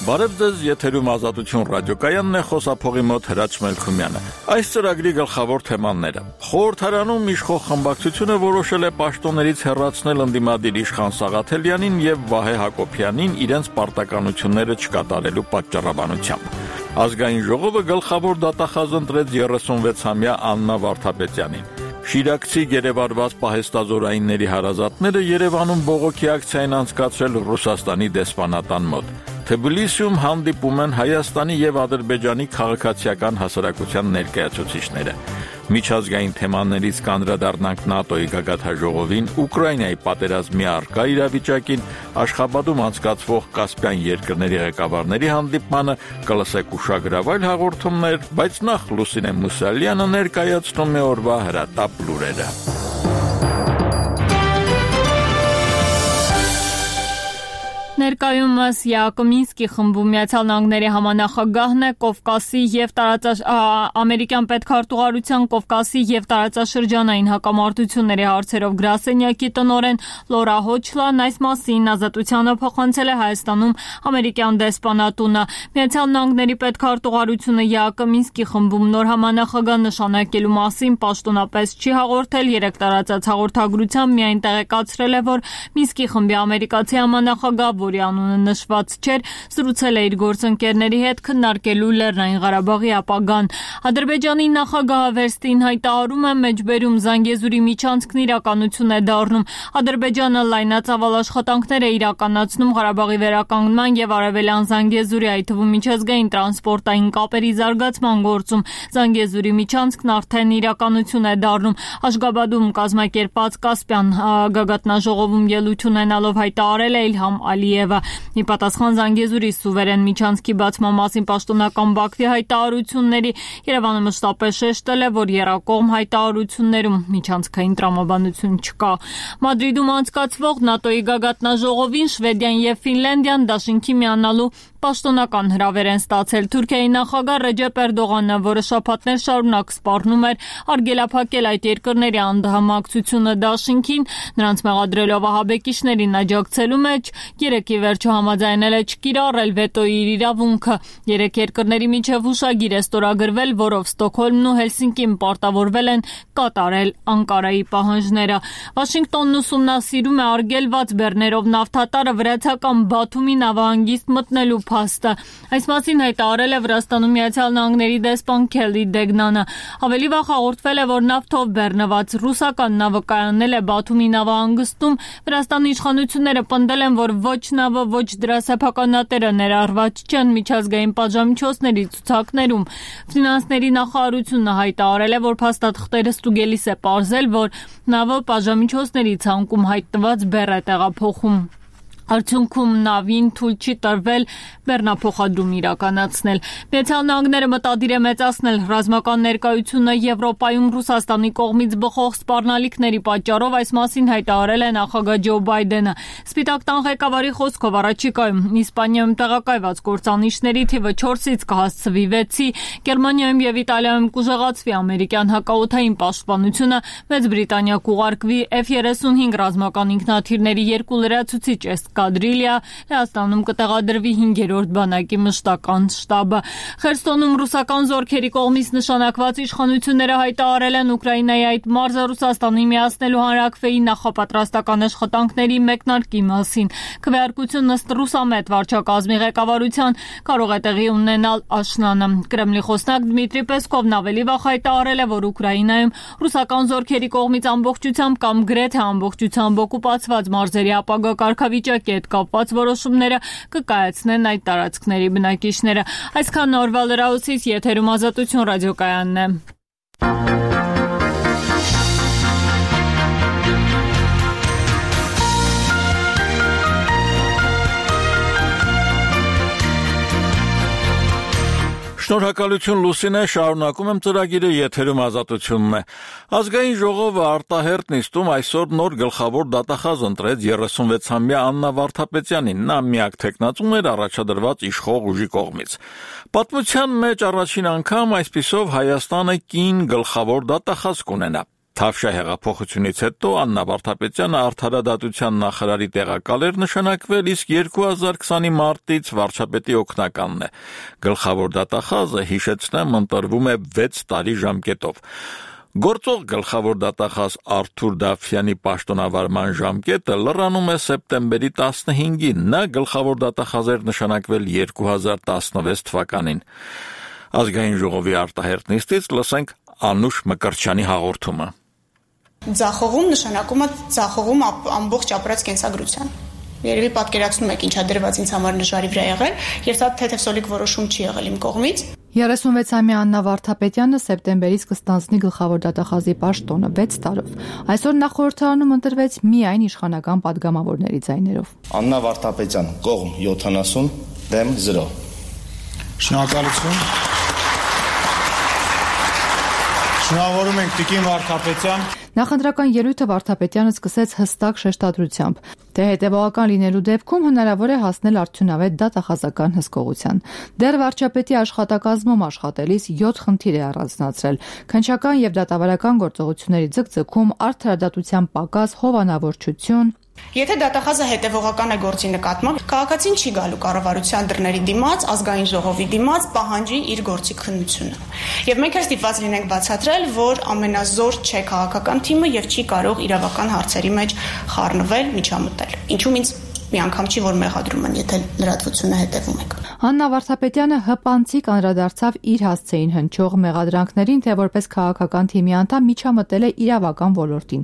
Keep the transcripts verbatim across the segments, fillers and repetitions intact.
Բարև ձեզ, եթերում Ազատություն ռադիոկայանն է, խոսափողի մոտ Հրաչ Մելքումյանը։ Այս ծրագրի գլխավոր թեմաները։ Խորհրդարանում իշխող խմբակցությունը որոշել է պաշտոններից հեռացնել ընդդիմադիր իշխան Սաղաթելյանին եւ Վահե Հակոբյանին իրենց պարտականությունները չկատարելու պատճառաբանությամբ։ Ազգային ժողովը գլխավոր դատախազ ընտրեց երեսունվեցամյա Աննա Վարդապետյանին։ Շիրակցի գերեվարված պահեստազորայինների հարազատները Երևանում բողոքի ակցիա են անցկացրել Ռուսաստանի դեսպանատան մոտ։ Թբիլիսիում հանդիպում են Հայաստանի եւ Ադրբեջանի քաղաքացիական հասարակության ներկայացուցիչները։ Միջազգային թեմաներից կանդրադառնանք ՆԱՏՕ-ի գագաթնաժողովին, Ուկրաինայի պատերազմի առկա իրավիճակին, Աշխաբադում անցկացվող Կասպյան երկրների ղեկավարների հանդիպմանը, կլսեք ուշագրավայր հաղորդումներ, բայց նախ Լուսինե Մուսալյանը ներկայացնում է օրվա հրատապ լուրերը։ Ներկայումս Յակոմինսկի խմբում Միացյալ Նահանգների համանախագահն է Կովկասի եւ տարածաշ ամերիկյան պետքարտուղարության Կովկասի եւ տարածաշրջանային հակամարտությունների հարցերով գրասենյակի տնօրեն Լորա Հոչլան այս մասին Ազատությանը փոխանցել է Հայաստանում ամերիկյան դեսպանատունը։ Միացյալ Նահանգների պետքարտուղարությունը Յակոմինսկի խմբում նոր համանախագահ նշանակելու մասին պաշտոնապես չի հաղորդել, երեք տարածած հաղորդագրությամբ միայն տեղեկացրել է, որ Մինսկի խմբի ամերիկացի համանախագահ, որի անունը նշված չէր, զրուցել է իր գործընկերների հետ քննարկելու Լեռնային Ղարաբաղի ապագան։ Ադրբեջանի նախագահը վերստին հայտարարում է մեջբերում Զանգեզուրի միջանցքն իրականություն է դառնում։ Ադրբեջանը լայնածավալ աշխատանքներ է իրականացնում Ղարաբաղի վերականգնման եւ Արևելյան Զանգեզուրի, այդ թվում միջազգային տրանսպորտային կապերի զարգացման գործում։ Զանգեզուրի միջանցքն արդեն իրականություն է դառնում։ Աշգաբադում կազմակերպած Կասպյան գագաթնաժողովում ելույթ ունենալով հայտարարել է Իլհամ Ալիևը։ Ի պատասխան Զանգեզուրի սուվերեն միջանցքի բացման մասին պաշտոնական Բաքվի հայտարարությունների, Երևանը մշտապես շեշտել է, որ եռակողմ հայտարարություններում միջանցքային տրամաբանություն չկա։ Մադրիդում անցկացվող ՆԱՏՕ-ի գագաթնաժողովին Շվեդիան եւ Ֆինլանդիան դաշինքի միանալու պաշտոնական հրավեր են ստացել։ Թուրքիայի նախագահ Ռեջեփ Էրդողանը, որը շաբաթներ շարունակ սպառնում էր արգելափակել այդ երկրների անդամակցությունը դաշինքին, նրանց մեղադրելով ահաբեկիչներին աջակցելու մեջ, երեկ ի վերջո համաձայնել է չկիրառել վետոյի իր իրավունքը։ Երեք երկրների միջև հուշագիր է ստորագրվել, որով Ստոկհոլմն ու Հելսինկին պարտավորվել են կատարել Անկարայի պահանջները։ Վաշինգտոնն ուսումնասիրում է արգելված բեռներով նավթատարը վրացական Բաթումի նավահանգիստ մտնելու փաստը։ Այս մասին հայտարարել է Վրաստանում Միացյալ Նահանգների դեսպան Քելի Դեգնանը։ Ավելի վաղ հաղորդվել է, որ նավթով բեռնված ռուսական նավը կայանել է Բաթումի նավահանգստում։ Վրաստանի իշխանությունները պնդել են, որ ոչ նավը, ոչ դրա սեփականատերը ներառված չեն միջազգային պատժամիջոցների ցուցակներում։ Ֆինանսների նախարարությունը հայտարարել է, որ փաստաթղթերը ստուգելիս է պարզել, որ նավը պատժամիջոցների ցանկում հայտնված բեռ է տեղափոխում։ Արդյունքում նավին թույլ չի տրվել բեռնափոխադրում իրականացնել։ Միացյալ Նահանգները մտադիր է մեծացնել ռազմական ներկայությունը Եվրոպայում Ռուսաստանի կողմից բխող սպառնալիքների պատճառով, այս մասին հայտարարել է նախագահ Ջո Բայդենը։ Սպիտակ տան ղեկավարի խոսքով առաջիկայում Իսպանիայում տեղակայված կործանիչների թիվը չորսից կհասցվի վեցի, Գերմանիայում եւ Իտալիայում կուժեղացվի ամերիկյան հակաօդային պաշտպանությունը, Մեծ Բրիտանիա կուղարկվի Էֆ երեսունհինգ ռազմական ինքնաթիռների երկու լրացուցիչ Կադրիլիա, Լեհաստանում կտեղադրվի հինգերորդ բանակի մշտական շտաբը։ Խերսոնում ռուսական զորքերի կողմից նշանակված իշխանությունները հայտարարել են Ուկրաինայի այդ մարզը Ռուսաստանի միացնելու հանրաքվեի նախապատրաստական աշխատանքների մեկնարկի մասին։ Քվեարկությունն ըստ ռուսամետ վարչակազմի ղեկավարության կարող է տեղի ունենալ աշնանը։ Կրեմլի խոսնակ Դմիտրի Պեսկովն ավելի վաղ հայտարարել է, որ Ուկրաինայում ռուսական զորքերի կողմից ամբողջությամբ կամ գրեթե ամբողջությամբ օկուպացված մարզերի ապագա կարգավիճակ հետ կապված որոշումները կկայացնեն այդ տարածքների բնակիչները։ Այսքան օրվա լրահոսից, եթերում Ազատություն ռադիոկայանն է։ Շնորհակալություն Լուսինե, շարունակում եմ ծրագիրը, եթերում Ազատությունն է։ Ազգային ժողովը արտահերտ նիստում այսօր նոր գլխավոր դատախազ ընտրեց երեսունվեցամյա Աննա Վարդապետյանին, նա միակ թեկնածուն էր առաջադրված իշխող ուժի կողմից։ Պատմության մեջ առաջին անգամ այսպիսով Հայաստանը կին գլխավոր դատախազ կունենա։ Թավշյա հեղափոխությունից հետո Աննա Վարդապետյանը արդարադատության նախարարի տեղակալ էր նշանակվել, իսկ երկու հազար քսանի մարտից վարչապետի օգնականն է։ Գլխավոր դատախազը, հիշեցնեմ, ընտրվում է վեց տարի ժամկետով։ Գործող գլխավոր դատախազ Արթուր Դավթյանի պաշտոնավարման ժամկետը լրանում է սեպտեմբերի տասնհինգին, նա գլխավոր դատախազ էր նշանակվել երկու հազար տասնվեց թվականին։ Ազգային ժողովի արտահերթ նիստից լսենք Անուշ Մկրտչյանի հաղորդումը։ Ձախողում նշանակում է ձախողում ամբողջ ապրած կենսագրության։ Երևի պատկերացնում եք ինչա դրված ինձ համար նժարի վրա եղել, եւ դա թեթևսոլիկ որոշում չի եղել իմ կողմից։ երեսունվեցամյա Աննա Վարդապետյանը սեպտեմբերից կստանձնի գլխավոր դատախազի պաշտոնը վեց տարով։ Այսօր նա խորհրդարանում ընտրվեց միայն իշխանական падգամավորների ձայներով։ Աննա Վարդապետյան, կողմ յոթանասուն, դեմ զրո։ Շնորհակալություն։ Շնորհավորում ենք Տիկին Վարդապետյան։ Նախընտրական ելույթը Վարդապետյանը սկսեց հստակ շեշտադրությամբ, թե հետևողական լինելու դեպքում հնարավոր է հասնել արդյունավետ դատախազական հսկողության։ Դեռ վարչապետի աշխատակազմում աշխատելիս յոթ խնդիր է առանձնացրել՝ քննչական եւ դատավարական գործողությունների ձգձգում, արդարադատության պակաս, հովանավորչություն։ Եթե դատախազը հետևողական է գործի նկատմամբ, քաղաքացին չի գալու կառավարության դռների դիմաց, ազգային ժողովի դիմաց պահանջի իր գործի քննությունը։ Եվ մենք էլ ստիպված լինենք բացատրել, որ ամենազոր չէ քաղաքական թիմը եւ չի կարող իրավական հարցերի մեջ խառնվել, միջամտել։ Ինչու՞ ինձ մի անգամ չի որ մեղադրում են, եթե լրատվությունը հետևում եք։ Աննա Վարդապետյանը հպանցիկ անդրադարձավ իր հասցեին հնչող մեղադրանքներին, թե որպես քաղաքական թիմի անդամ միջամտել է իրավական ոլորտին։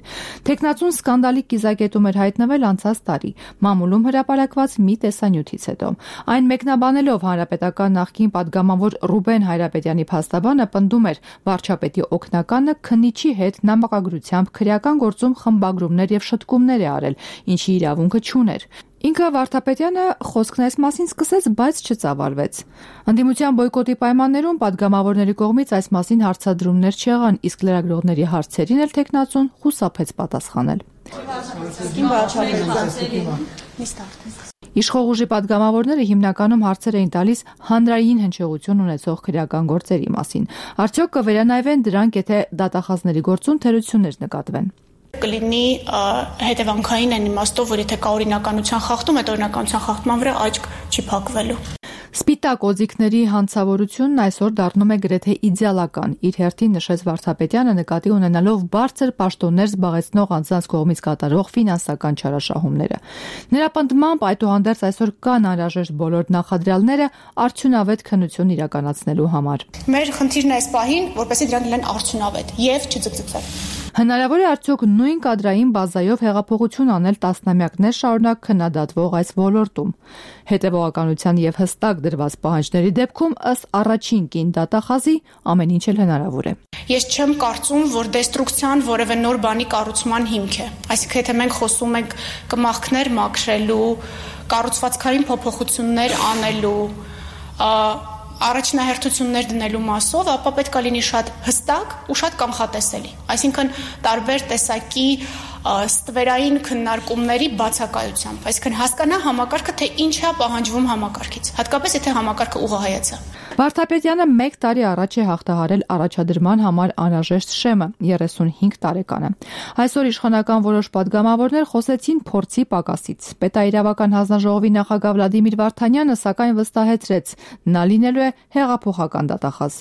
Տեխնացուն սկանդալի կիզակետում էր հայտնվել անցած տարի, մամուլում հրապարակված մի տեսանյութից հետո։ Այն մեկնաբանելով հանրապետական նախկին падգամավոր Ռուբեն Հայրապետյանի փաստաբանը պնդում էր վարչապետի օգնականը քննիչի հետ նամակագրությամբ քրեական գործում խմբագրումներ եւ շտկումներ է արել, ինչի իրավունքը չուներ։ Ինքը Վարդապետյանը խոսքն այս մասին սկսեց, բայց չծավալվեց։ Ընդդիմության բոյկոտի պայմաններում падգամավորների կողմից այս մասին հարցադրումներ չեղան, իսկ լրագրողների հարցերին էլ տեխնացուն խուսափեց պատասխանել։ Իշխող ուժի падգամավորները հիմնականում հարցեր էին տալիս հանրային հնչեղություն ունեցող քրեական գործերի մասին։ Արդյոք կվերանայվեն դրանք, եթե դատախազների գործում թերություններ նկատվեն։ Կլինի հետևանքային այն իմաստով, որ եթե կա օրինականության խախտում, այդ օրինականության խախտման վրա աչք չի փակվելու։ Սպիտակ օձիքների հանցավորությունն այսօր դառնում է գրեթե իդեալական, իր հերթին նշեց Վարդապետյանը, նկատի ունենալով բարձր պաշտոններ զբաղեցնող անձանց կողմից կատարվող ֆինանսական չարաշահումները։ Նրա պնդմամբ, այդուհանդերձ այսօր կան անհրաժեշտ բոլոր նախադրյալները արդյունավետ քննություն իրականացնելու համար։ Մեր խնդիրն է այս պահին, որպեսզի դրանք լինեն արդյունավետ եւ չձգձգվեն։ Հնարավոր է արդյոք նույն կադրային բազայով հեղափոխություն անել տասնամյակներ շարունակ քննադատվող այս ոլորտում։ Հետևողականության եւ հստակ դրված պահանջների դեպքում ըստ առաջին կին դատախազի ամեն ինչ էլ հնարավոր է։ Ես չեմ կարծում, որ դեստրուկցիան որևէ նոր բանի կառուցման հիմք է։ Այսինքն եթե մենք խոսում ենք կմախքներ մաքրելու, կառուցվածքային փոփոխություններ անելու, առաջնահերթություններ դնելու մասով, ապա պետք է լինի շատ հստակ ու շատ կանխատեսելի։ Այսինքն տարբեր տեսակի ստվերային քննարկումների բացակայությամբ, այսինքն հասկանա համակարգը, թե ինչ է պահանջվում համակարգից, հատկապես եթե համակարգը ուղղահայաց է։ Վարդապետյանը մեկ տարի առաջ է հաղթահարել առաջադրման համար անհրաժեշտ շեմը, երեսունհինգ տարեկանը։ Այսօր իշխանական որոշ падգամավորներ խոսեցին փորձի պակասից։ Պետաիրավական հանձնաժողովի նախագահ Վլադիմիր Վարդանյանը սակայն վստահեցրեց, նա լինելու է հեղափոխական դատախազ։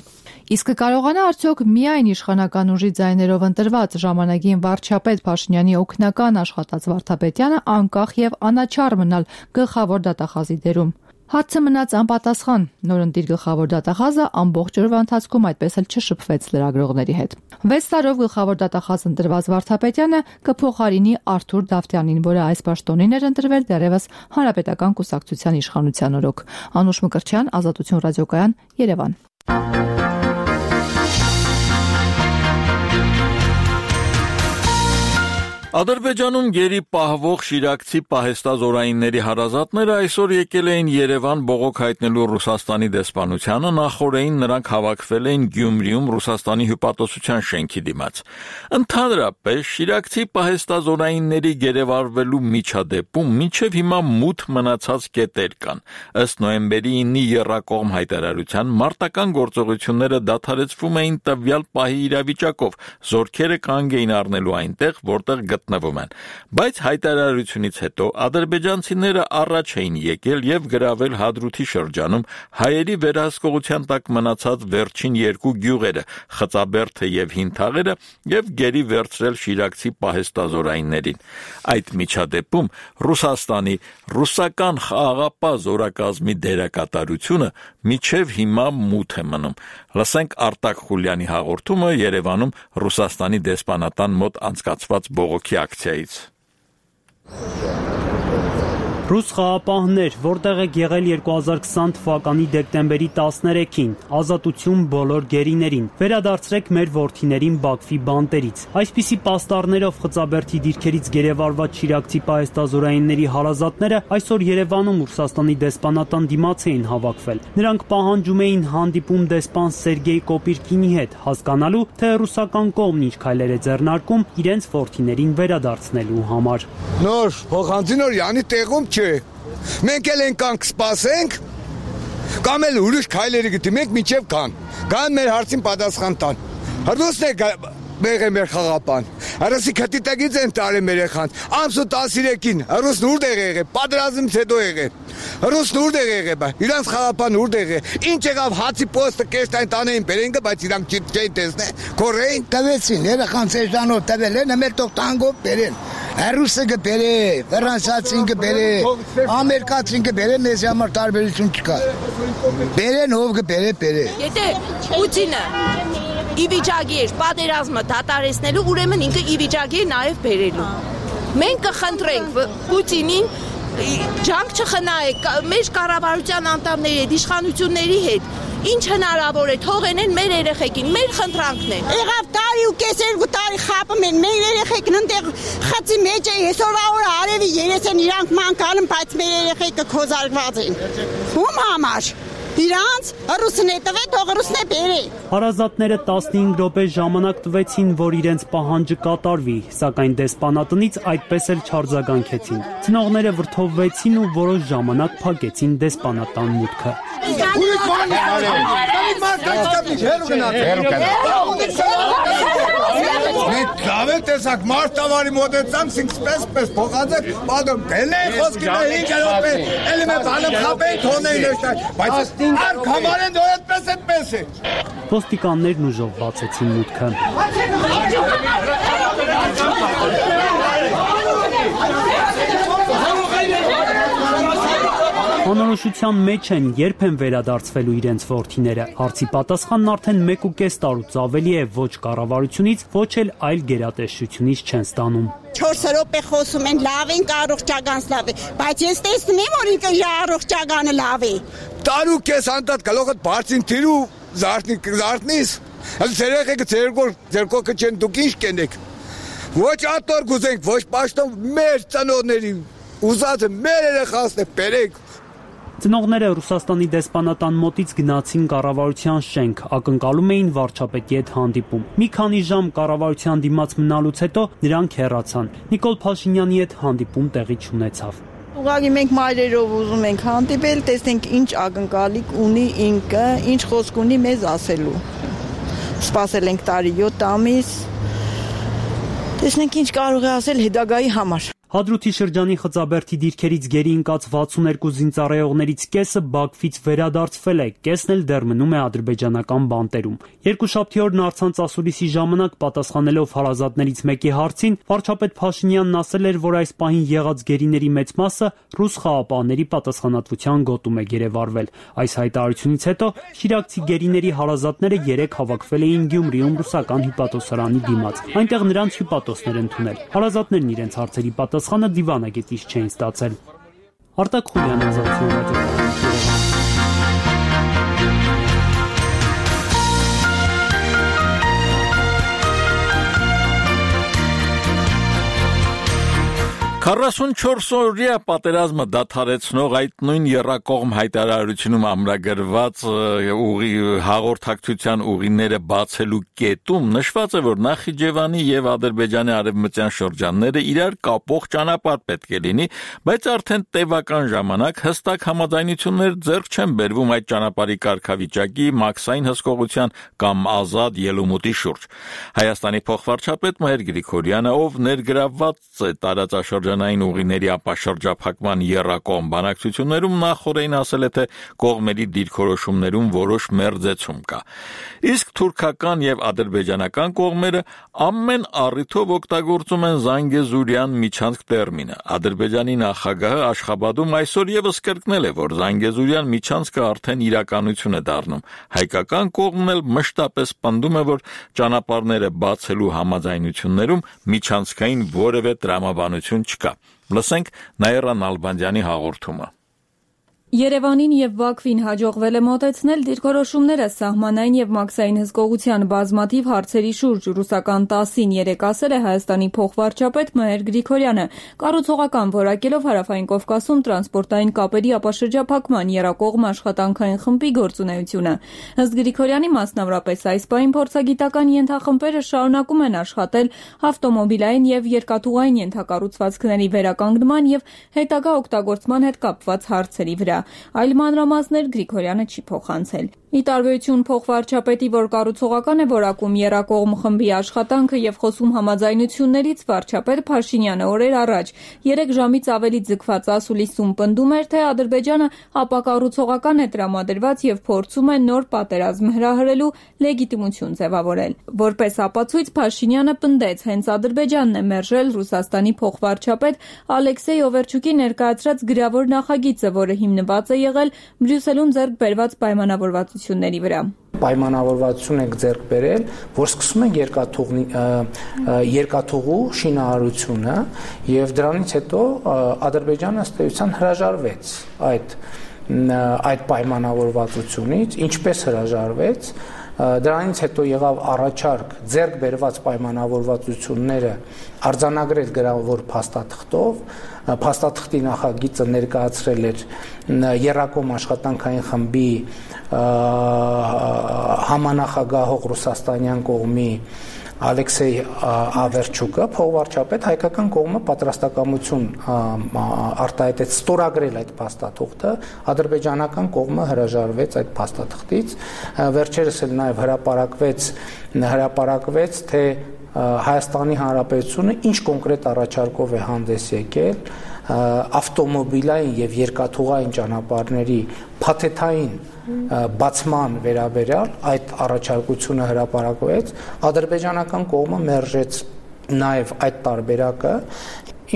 Իսկ կարողանա արդյոք միայն իշխանական ուժի ձայներով ընտրված ժամանակին վարչապետ Փաշինյանի օգնական աշխատած Վարդապետյանը անկախ եւ անաչառ մնալ գլխավոր դատախազի դերում։ Հարցը մնաց անպատասխան։ Նորընտիր գլխավոր դատախազը ամբողջ օրվա ընթացքում այդպես էլ չշփվեց լրագրողների հետ։ վեց տարով գլխավոր դատախազ ընտրված Վարդապետյանը կփոխարինի Արթուր Դավթյանին, որը այս պաշտոնին էր ընտրվել դեռևս Հանրապետական կուսակցության իշխանության օրոք։ Անուշ Մկրտչյան, Ազատություն ռադիոկայան, Երևան։ Ադրբեջանում գերի պահվող շիրակցի պահեստազորայինների հարազատները այսօր եկել էին Երևան բողոք հայտնելու Ռուսաստանի դեսպանությանը, նախորդին նրանք հավաքվել էին Գյումրիում Ռուսաստանի հյուպատոսության շենքի դիմաց։ Ընդհանրապես շիրակցի պահեստազորայինների գերեվարվելու միջադեպում մինչև հիմա մութ մնացած կետեր կան։ Ըստ նոյեմբերի ինի եռակողմ հայտարարության մարտական գործողությունները դադարեցվում էին տվյալ պահի իրավիճակով, զորքերը կանգ էին առնելու այնտեղ, որտեղ գտնվում են, բայց հայտարարությունից հետո ադրբեջանցիները առաջ էին եկել եւ գրավել Հադրութի շրջանում հայերի վերահսկողության տակ մնացած վերջին երկու գյուղերը, Խծաբերդը եւ Հինթաղերը եւ գերի վերցրել շիրակցի պահեստազորայիններին։ Այդ միջադեպում Ռուսաստանի ռուսական խաղաղապահ զորակազմի դերակատարությունը միջև հիմա մութ է մնում։ Լսենք Արտակ Խուլյանի հաղորդումը Երևանում Ռուսաստանի դեսպանատան մոտ անցկացված բողոքի ակցիայից։ Ռուս խաղապահներ, որտեղ եք եղել երկու հազար քսան թվականի դեկտեմբերի տասներեքին, ազատություն բոլոր գերիներին, վերադարձրեք մեր որդիներին Բաքվի բանտերից։ Այսպիսի պաստառներով Խծաբերդի դիրքերից գերեվարված շիրակցի պահեստազորայինների հարազատները այսօր Երևանում Ռուսաստանի դեսպանատան դիմաց էին հավաքվել։ Նրանք պահանջում էին հանդիպում դեսպան Սերգեյ Կոպիրկինի հետ, հասկանալու, թե ռուսական կողմն ինչ քայլեր է ձեռնարկում իրենց որդիներին վերադարձնելու համար։ Նոր փոխանցինոր յանի տեղում Մենք էլ ենք կանք սպասենք, կամ էլ ուրիշ քայլերի գտիմենք մինչև կան, կան մեր հարցին պատասխան տան։ Հրդուսն է բեղե մեր խաղապան, հրսի կտիտագից են տարի մեր եխան, ամսու տասիրեկին, հրուսն ուրդ է եղե, պատրազմից հետո եղե, հրուսն ուրդ է եղե, իրանց խաղապան ուրդ է եղե, ինչ եղավ հացի պոստը կեշտային տանեին բերենգը, բայց իրանք չէին տեսնե, կորեին, տվեցին, երեխան սեժանով տվել են, մեր տող տանգով բերեն, հրուսը գբերե, վրանսացին գբերե, ամերկացին գբերե, մեզ համար տարբերություն չկա, բերեն հով գբերե, բերե։ Եթե Պուտինը իվիճակի էր պատերազմը դադարեցնելու, ուրեմն ինքը իվիճակի է նաև բերելու։ Մենք կխնդրենք Պուտինին ջանք չխնայեք մեր կառավարության անդամների հետ, իշխանությունների հետ, ինչ հնարավոր է թողենեն մեր երեխեքին, մեր խնդրանքն է։ Եղավ տարի ու կես երկու տարի խապում են, մեր երեխեքն ընդեղ խծի մեջ է, այսօր օրը արևի երես են իրանք մանկալում, բայց մեր երեխեքը քոզարկված են։ Ում համար։ Իրանց ռուսն է տվե, թող ռուսն է բերե։ Հարազատները տասնհինգ րոպե ժամանակ տվեցին, որ իրենց պահանջը կատարվի, սակայն դեսպանատնից այդպես էլ չարձագանքեցին։ Ծնողները վրդովվեցին ու որոշ ժամանակ փակեցին դեսպանատան մուտքը։ Մենք լավ տեսակ մարտավարի մոտեցանք, սինքսպես պես փոխածեք, պատում դելնեի խոսքին է հինգ րոպե, էլի մե բանը խապեի թոնեին էշտար, բայց արկ համար են դոր այդպես այդպես է։ Ոստիկաններն ուժով բացեցին մուտքը։ Անորոշության մեջ են, երբ են վերադարձվելու իրենց որդիները։ Հարցի պատասխանն արդեն մեկ ու կես տարուց ավելի է, ոչ կառավարությունից, ոչ էլ այլ գերատեսչությունից չեն ստանում։ չորս րոպե խոսում են, լավ են, առողջականս լավ է, բայց ես տեսնում եմ, որ ինքը իր առողջականը լավ է։ Տարու կես անտատ գլոխդ բարձին թիրու զարտնիս, ձեր երեխեքը ձեր կողքը չեն, դուք ինչ կենեք։ Ոչ ատոր գուզենք, ոչ պաշտոն մեր ծնողների ուզածը մեր երեխասն է բերեք։ Ծնողները Ռուսաստանի դեսպանատան մոտից գնացին կառավարության շենք, ակնկալում էին վարչապետի հետ հանդիպում։ Մի քանի ժամ կառավարության դիմաց մնալուց հետո նրանք հեռացան։ Նիկոլ Փաշինյանի հետ հանդիպում տեղի չունեցավ։ Ուղղակի մենք մայրերով ուզում ենք հանդիպել, տեսնենք ինչ ակնկալիք ունի ինքը, ինչ խոսք ունի մեզ ասելու։ Սպասել ենք տարի յոթ ամիս։ Տեսնենք ինչ կարող է ասել հետագայի համար։ Հադրութի շրջանի Խծաբերդի դիրքերից գերի ընկած վաթսունհերկու զինծառայողներից կեսը Բաքվից վերադարձվել է, կեսն էլ դեռ մնում է ադրբեջանական բանտերում։ Երկուշաբթի օրն առցանց ասուլիսի ժամանակ պատասխանելով հարազատներից մեկի հարցին, վարչապետ Փաշինյանն ասել էր, որ այս պահին եղած գերիների մեծ մասը ռուս խաղապահների պատասխանատվության գոտում է գերեվարվել։ Այս հայտարարությունից հետո շիրակցի գերիների հարազատները երեք հավաքվել էին Գյումրիում ռուսական հյուպատոսարանի դիմաց։ Այնտեղ նրանց հյուպատոսներ ընդունել։ Հարազատներն իրենց հարցերի պատասխանը դիվանագետից չէին ստացել։ Արտակ Խուլյան, Ազատություն ռադիո։ քառասունչորս օրյա պատերազմը դադարեցնող այդ նույն եռակողմ հայտարարությունում ամրագրված ուղի հաղորդակցության ուղիները բացելու կետում նշված է, որ Նախիջևանի եւ Ադրբեջանի արևմտյան շրջանները իրար կապող ճանապարհ պետք է լինի, բայց արդեն տևական ժամանակ հստակ համաձայնություններ ձեռք չեն բերվում այդ ճանապարհի կարգավիճակի, մաքսային հսկողության կամ ազատ ելումուտի շուրջ։ Հայաստանի փոխվարչապետ Մհեր Գրիգորյանը, ով ներգրավված է տարածաշրջանային ուղիների ապաշրջափակման եռակողմ բանակցություններում, նախորդին ասել է, թե կողմերի դիրքորոշումներում որոշ մերձեցում կա։ Իսկ թուրքական եւ ադրբեջանական կողմերը ամեն առիթով օգտագործում են Զանգեզուրյան միջանցք տերմինը։ Ադրբեջանի նախագահը Աշխաբադում այսօր եւս կրկնել է, որ Զանգեզուրյան միջանցքը արդեն իրականություն է դառնում։ Հայկական կողմն էլ մշտապես պնդում է, որ ճանապարհները բացելու համաձայնություններում միջանցքային որևէ տրամաբանություն չկա։ Լսենք Նաիրա Նալբանդյանի հաղորդումը։ Երևանին եւ Բաքվին հաջողվել է մոտեցնել դիրքորոշումները սահմանային եւ մաքսային հսկողության բազմաթիվ հարցերի շուրջ։ Ռուսական տասին երեք ասել է Հայաստանի փոխվարչապետ Մհեր Գրիգորյանը, կառուցողական որակելով Հարավային Կովկասում տրանսպորտային կապերի ապաշրջափակման եռակողմ աշխատանքային խմբի գործունեությունը։ Ըստ Գրիգորյանի, մասնավորապես այս պահին փորձագիտական ենթախմբերը շարունակում են աշխատել ավտոմոբիլային եւ երկաթուղային ենթակառուցվածքների վերականգնման եւ հետագա օգտագործման հետ կապված հարցերի վրա։ Այլ մանրամասներ Գրիգորյանը չի փոխանցել։ Ի տարբերություն փոխվարչապետի, որ կառուցողական է որակում եռակողմ խմբի աշխատանքը եւ խոսում համաձայնություններից, վարչապետ Փաշինյանը օրեր առաջ երեք ժամից ավելի ձգված ասուլիսում պնդում էր, թե Ադրբեջանը ապակառուցողական է տրամադրված եւ փորձում է նոր պատերազմ հրահրելու լեգիտիմություն ձևավորել։ Որպես ապացույց Փաշինյանը պնդեց, հենց Ադրբեջանն է մերժել Ռուսաստանի փոխվարչապետ Ալեքսեյ Օվերչուկի ներկայացրած գրավոր նախագիծը, որը հիմնված է եղել Բրյուսելում ձեռք բերված պայմանավորվածությունների վրա։ Պայմանավորվածություն ենք ձեռք բերել, որ սկսում են երկաթուղի երկաթուղու շինարարությունը եւ դրանից հետո Ադրբեջանը ըստ էության հրաժարվեց այդ այդ պայմանավորվածությունից, ինչպես հրաժարվեց, դրանից հետո եղավ առաջարկ ձեռք բերված պայմանավորվածությունները արձանագրել գրավոր փաստաթղթով, փաստաթղթի նախագիծը ներկայացրել էր եռակողմ աշխատանքային խմբի համանախագահող ռուսաստանյան կողմի Ալեքսեյ Ավերչուկը, փոխվարչապետ, հայկական կողմը պատրաստակամություն արտահայտեց ստորագրել այդ փաստաթղթը, ադրբեջանական կողմը հրաժարվեց այդ փաստաթղթից, վերջերս էլ նաև հրապարակվեց հրապարակվեց, թե Հայաստանի Հանրապետությունը ինչ կոնկրետ առաջարկով է հանդես եկել ավտոմոբիլային եւ երկաթուղային ճանապարհների փաթեթային բացման վերաբերյալ այդ առաջարկությունը հրապարակվեց, ադրբեջանական կողմը մերժեց նաև այդ տարբերակը։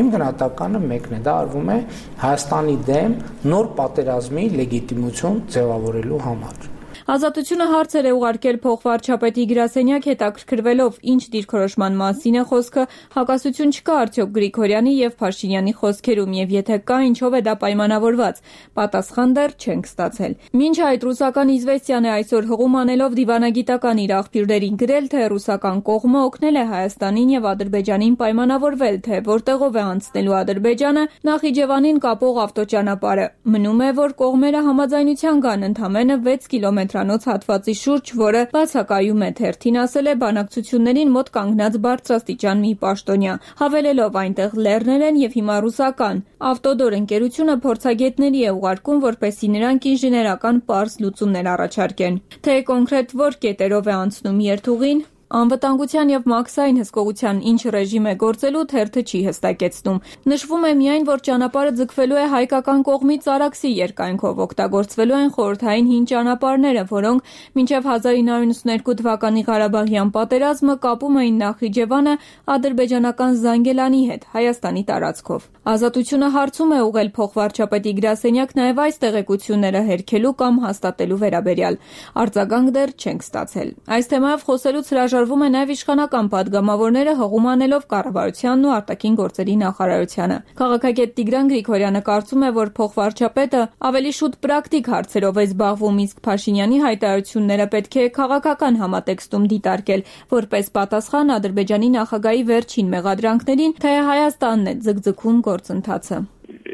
Իմ գնահատականը մեկն է, դա արվում է Հայաստանի դեմ նոր պատերազմի լեգիտիմություն ձևավորելու համար։ Ազատությունը հարցեր է ուղարկել փոխվարչապետի գրասենյակ, հետաքրքրվելով ինչ դիրքորոշման մասին է խոսքը, հակասություն չկա արդյոք Գրիգորյանի եւ Փաշինյանի խոսքերում, եւ եթե կա, ինչով է դա պայմանավորված։ Պատասխան դեռ չենք ստացել։ Մինչ այդ ռուսական Իզվեստիան է այսօր հղում անելով դիվանագիտական իր աղբյուրներին գրել, թե ռուսական կողմը օգնել է Հայաստանին եւ Ադրբեջանին պայմանավորվել, թե որտեղով է անցնելու Ադրբեջանը Նախիջևանին կապող ավտոճանապարհը։ Մնում է, որ կողմերը համաձայնության գան ընդամենը վեց կիլոմետր հատվածի շուրջ, որը բացակայում է թերթին, ասել է բանակցություններին մոտ կանգնած բարձրաստիճան մի պաշտոնյա, հավելելով այնտեղ լեռներ են եւ հիմա ռուսական ավտոդոր ընկերությունը փորձագետների է ուղարկում, որպեսզի նրանք ինժեներական պարզ լուծումներ առաջարկեն։ Թե կոնկրետ որ կետերով է անցնում երթուղին, անվտանգության եւ մաքսային հսկողության ինչ ռեժիմ է գործելու, թերթը չի հստակեցնում։ Նշվում է միայն, որ ճանապարհը ձգվելու է հայկական կողմից Արաքսի երկայնքով, օգտագործվելու են խորհրդային հին ճանապարհները, որոնք մինչև հազար ինը հարյուր նվաթ թվականի Ղարաբաղյան պատերազմը կապում էին Նախիջևանը ադրբեջանական Զանգելանի հետ, Հայաստանի տարածքով։ Ազատությունը հարցում է ուղղել փոխվարչապետի գրասենյակ նաև այս տեղեկությունները հերքելու կամ հաստատելու վերաբերյալ։ Արձագանք դեռ չենք ստացել։ Այս թեմայով խոսելուց հրաժարվել հորդորվում է նաև իշխանական պատգամավորները հղում անելով կառավարությանն ու արտաքին գործերի նախարարությանը։ Քաղաքագետ Տիգրան Գրիգորյանը կարծում է, որ փոխվարչապետը ավելի շուտ պրակտիկ հարցերով է զբաղվում, իսկ Փաշինյանի հայտարարությունները պետք է քաղաքական համատեքստում դիտարկել, որպես պատասխան Ադրբեջանի նախագահի վերջին մեղադրանքներին, թե Հայաստանն է ձգձգում գործընթացը։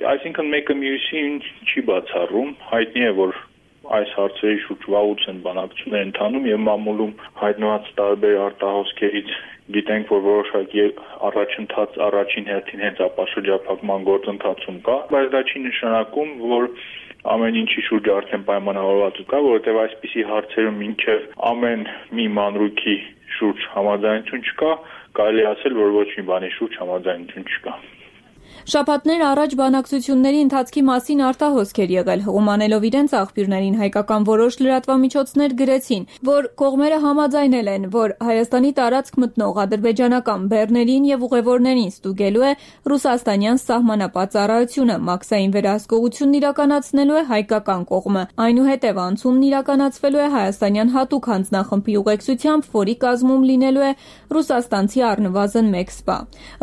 Այսինքն մեկը մյուսին չի բացառում, հայտնի է, որ այս հարցերի շուրջ վաղուց են բանակցություններ ընթանում եւ մամուլում հայտնված տարբեր արտահոսքերից գիտենք, որ որոշակի առաջընթաց առաջին հերթին հենց ապաշրջափակման գործընթացում կա, բայց դա չի նշանակում, որ ամեն ինչի շուրջ արդեն պայմանավորվածություն կա, որովհետեւ այսպիսի հարցերում մինչեւ ամեն մի մանրուքի շուրջ համաձայնություն չկա, կարելի ասել, որ ոչ մի բանի շուրջ համաձայնություն չկա։ Շաբաթներ առաջ բանակցությունների ընթացքի մասին արտահոսքեր եղել, հղում անելով իրենց աղբյուրներին հայկական որոշ լրատվամիջոցներ գրեցին, որ կողմերը համաձայնել են, որ Հայաստանի տարածք մտնող ադրբեջանական բեռներին եւ ուղևորներին ստուգելու է ռուսաստանյան սահմանապատ ծառայությունը, մաքսային վերահսկողությունն իրականացնելու է հայկական կողմը, այնուհետև անցումն իրականացվելու է հայաստանյան հատուկ հանձնախմբի ուղեկցությամբ, որի կազմում լինելու է ռուսաստանցի առնվազն մեկ սպա։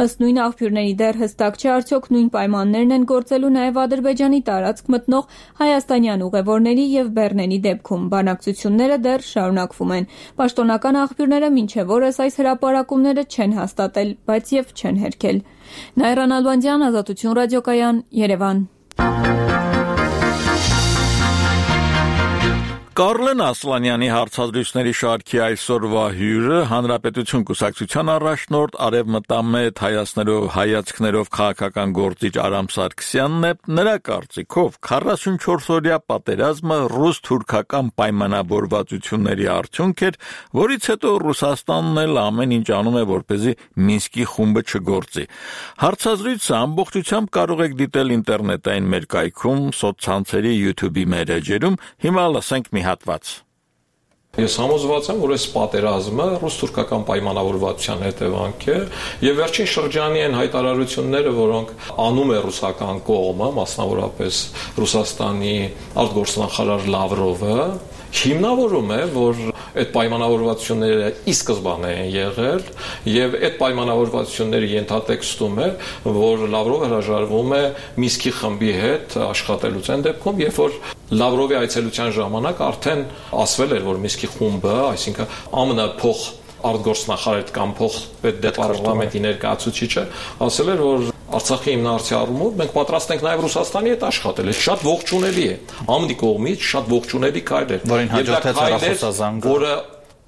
Ըստ նույն աղբյուրների դեռ հստակ չէ արդյոք նույն պայմաններն են գործելու նաև Ադրբեջանի տարածք մտնող հայաստանյան ուղևորների եւ բեռների դեպքում։ Բանակցությունները դեռ շարունակվում են։ Պաշտոնական աղբյուրները մինչև օրս այս հրապարակումները չեն հաստատել, բայց եւ չեն հերքել։ Նայրան Ալբանդյան, Ազատություն ռադիոկայան, Երևան։ Կարլեն Ասլանյանի հարցազրույցների շարքի այսօրվա հյուրը Հանրապետություն կուսակցության առաջնորդ Արևմտամետ հայացներով հայացքներով քաղաքական գործիչ Արամ Սարգսյանն է։ Նրա կարծիքով քառասունչորսօրյա պատերազմը ռուս-թուրքական պայմանավորվածությունների արդյունք էր, որից հետո Ռուսաստանն էլ ամեն ինչ անում է, որպեսզի Մինսկի խումբը չգործի։ Հարցազրույցը ամբողջությամբ կարող եք դիտել ինտերնետային մեր կայքում, սոցցանցերի YouTube-ի մեր էջերում։ Հիմա լսենք մի հատված։ Ես համոզված եմ, որ այս պատերազմը ռուս-թուրքական պայմանավորվածության հետևանք է եւ վերջին շրջանի այն հայտարարությունները, որոնք անում է ռուսական կողմը, մասնավորապես Ռուսաստանի արտգործնախարար Լավրովը, հիմնավորում է, որ այդ պայմանավորվածությունները ի սկզբանե են եղել եւ այդ պայմանավորվածությունների ենթատեքստում է, որ Լավրովը հրաժարվում է Մինսկի խմբի հետ աշխատելուց այն դեպքում, երբ որ Լավրովի այցելության ժամանակ արդեն ասվել էր, որ Մինսկի խումբը, այսինքն ԱՄՆ փոխ արտգործնախարար կամ փոխ պետդեպարտամենտի ներկայացուցիչը ասել էր, որ Արցախի հիմնարարցի առումով մենք պատրաստ ենք նաև Ռուսաստանի հետ աշխատել։ Այդ շատ ողջունելի է։ ԱՄՆ-ի կողմից շատ ողջունելի քայլ է։ Որին հաջորդեց հեռախոսազանգը, որը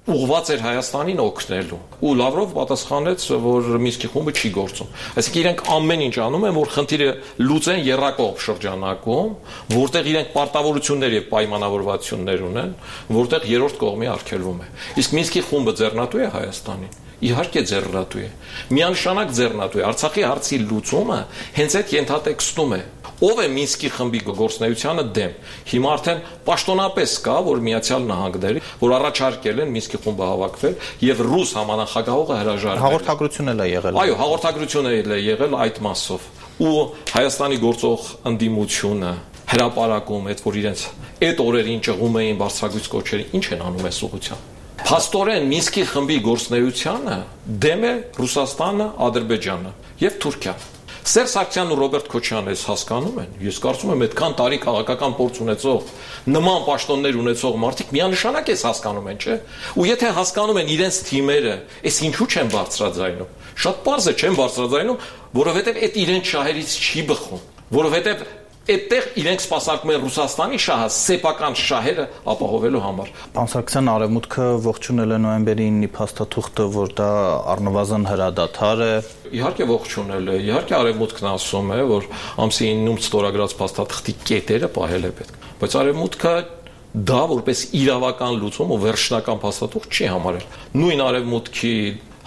ուղղված էր Հայաստանին օգնելու։ Ու Լավրով պատասխանեց, որ Մինսկի խումբը չի գործում։ Այսինքն իրենք ամեն ինչ անում են, որ խնդիրը լուծեն եռակողմ շրջանակում, որտեղ իրենք պարտավորություններ եւ պայմանավորվածություններ ունեն, որտեղ երրորդ կողմի արգելվում է։ Իսկ Մինսկի խումբը ձեռնատու է Հայաստանին։ Իհարկե ձեռնատու է։ Միանշանակ ձեռնատու է։ Արցախի հարցի լուծումը հենց այդ ենթատեքստում է։ Ով է Մինսկի խմբի գործունեությանը դեմ։ Հիմա արդեն պաշտոնապես կա, որ Միացյալ Նահանգները, որ առաջարկել են Մինսկի խումբը հավաքվել եւ ռուս համանախագահողը հրաժարվել։ Հաղորդագրություն էլ է եղել։ Այո, հաղորդագրություն էլ է եղել այդ մասով։ Ու Հայաստանի գործող ընդդիմությունը հրապարակում այդ, որ իրենց այդ օրերին ճղում էին բարձրագույն կոչերը, ինչ են անում այս ուղղությամբ։ Փաստորեն Մինսկի խմբի գործունեությանը դեմ է Ռուսաստանը, Ադրբեջանը եւ Թուրքիան։ Սերժ Սարգսյանն ու Ռոբերտ Քոչյանը ես հասկանում են։ Ես կարծում եմ այդքան տարի քաղաքական փորձ ունեցող, նման պաշտոններ ունեցող մարդիկ միանշանակ էս հասկանում են, չէ՞։ Ու եթե հասկանում են իրենց թիմերը, այս ինչու չեն բարձրաձայնում։ Շատ պարզ է, չեն բարձրաձայնում, որովհետեւ այդ իրենց շահերից չի բխում, որովհետեւ այդտեղ իրենք սպասարկում են Ռուսաստանի շահը, սեփական շահերը ապահովելու համար։ Պարոն Սարգսյան, Արևմուտքը ողջունել է նոյեմբերի ինը փաստաթուղթը, որ դա առնվազն հրադադար է։ Իհարկե ողջունել է, իհարկե Արևմուտքն ասում է, որ ամսի իննում ստորագրած փաստաթղթի կետերը պահել է պետք։ Բայց Արևմուտքը դա որպես իրավական լուծում ու վերջնական փաստաթուղթ չի համարել։ Նույն Արևմուտքի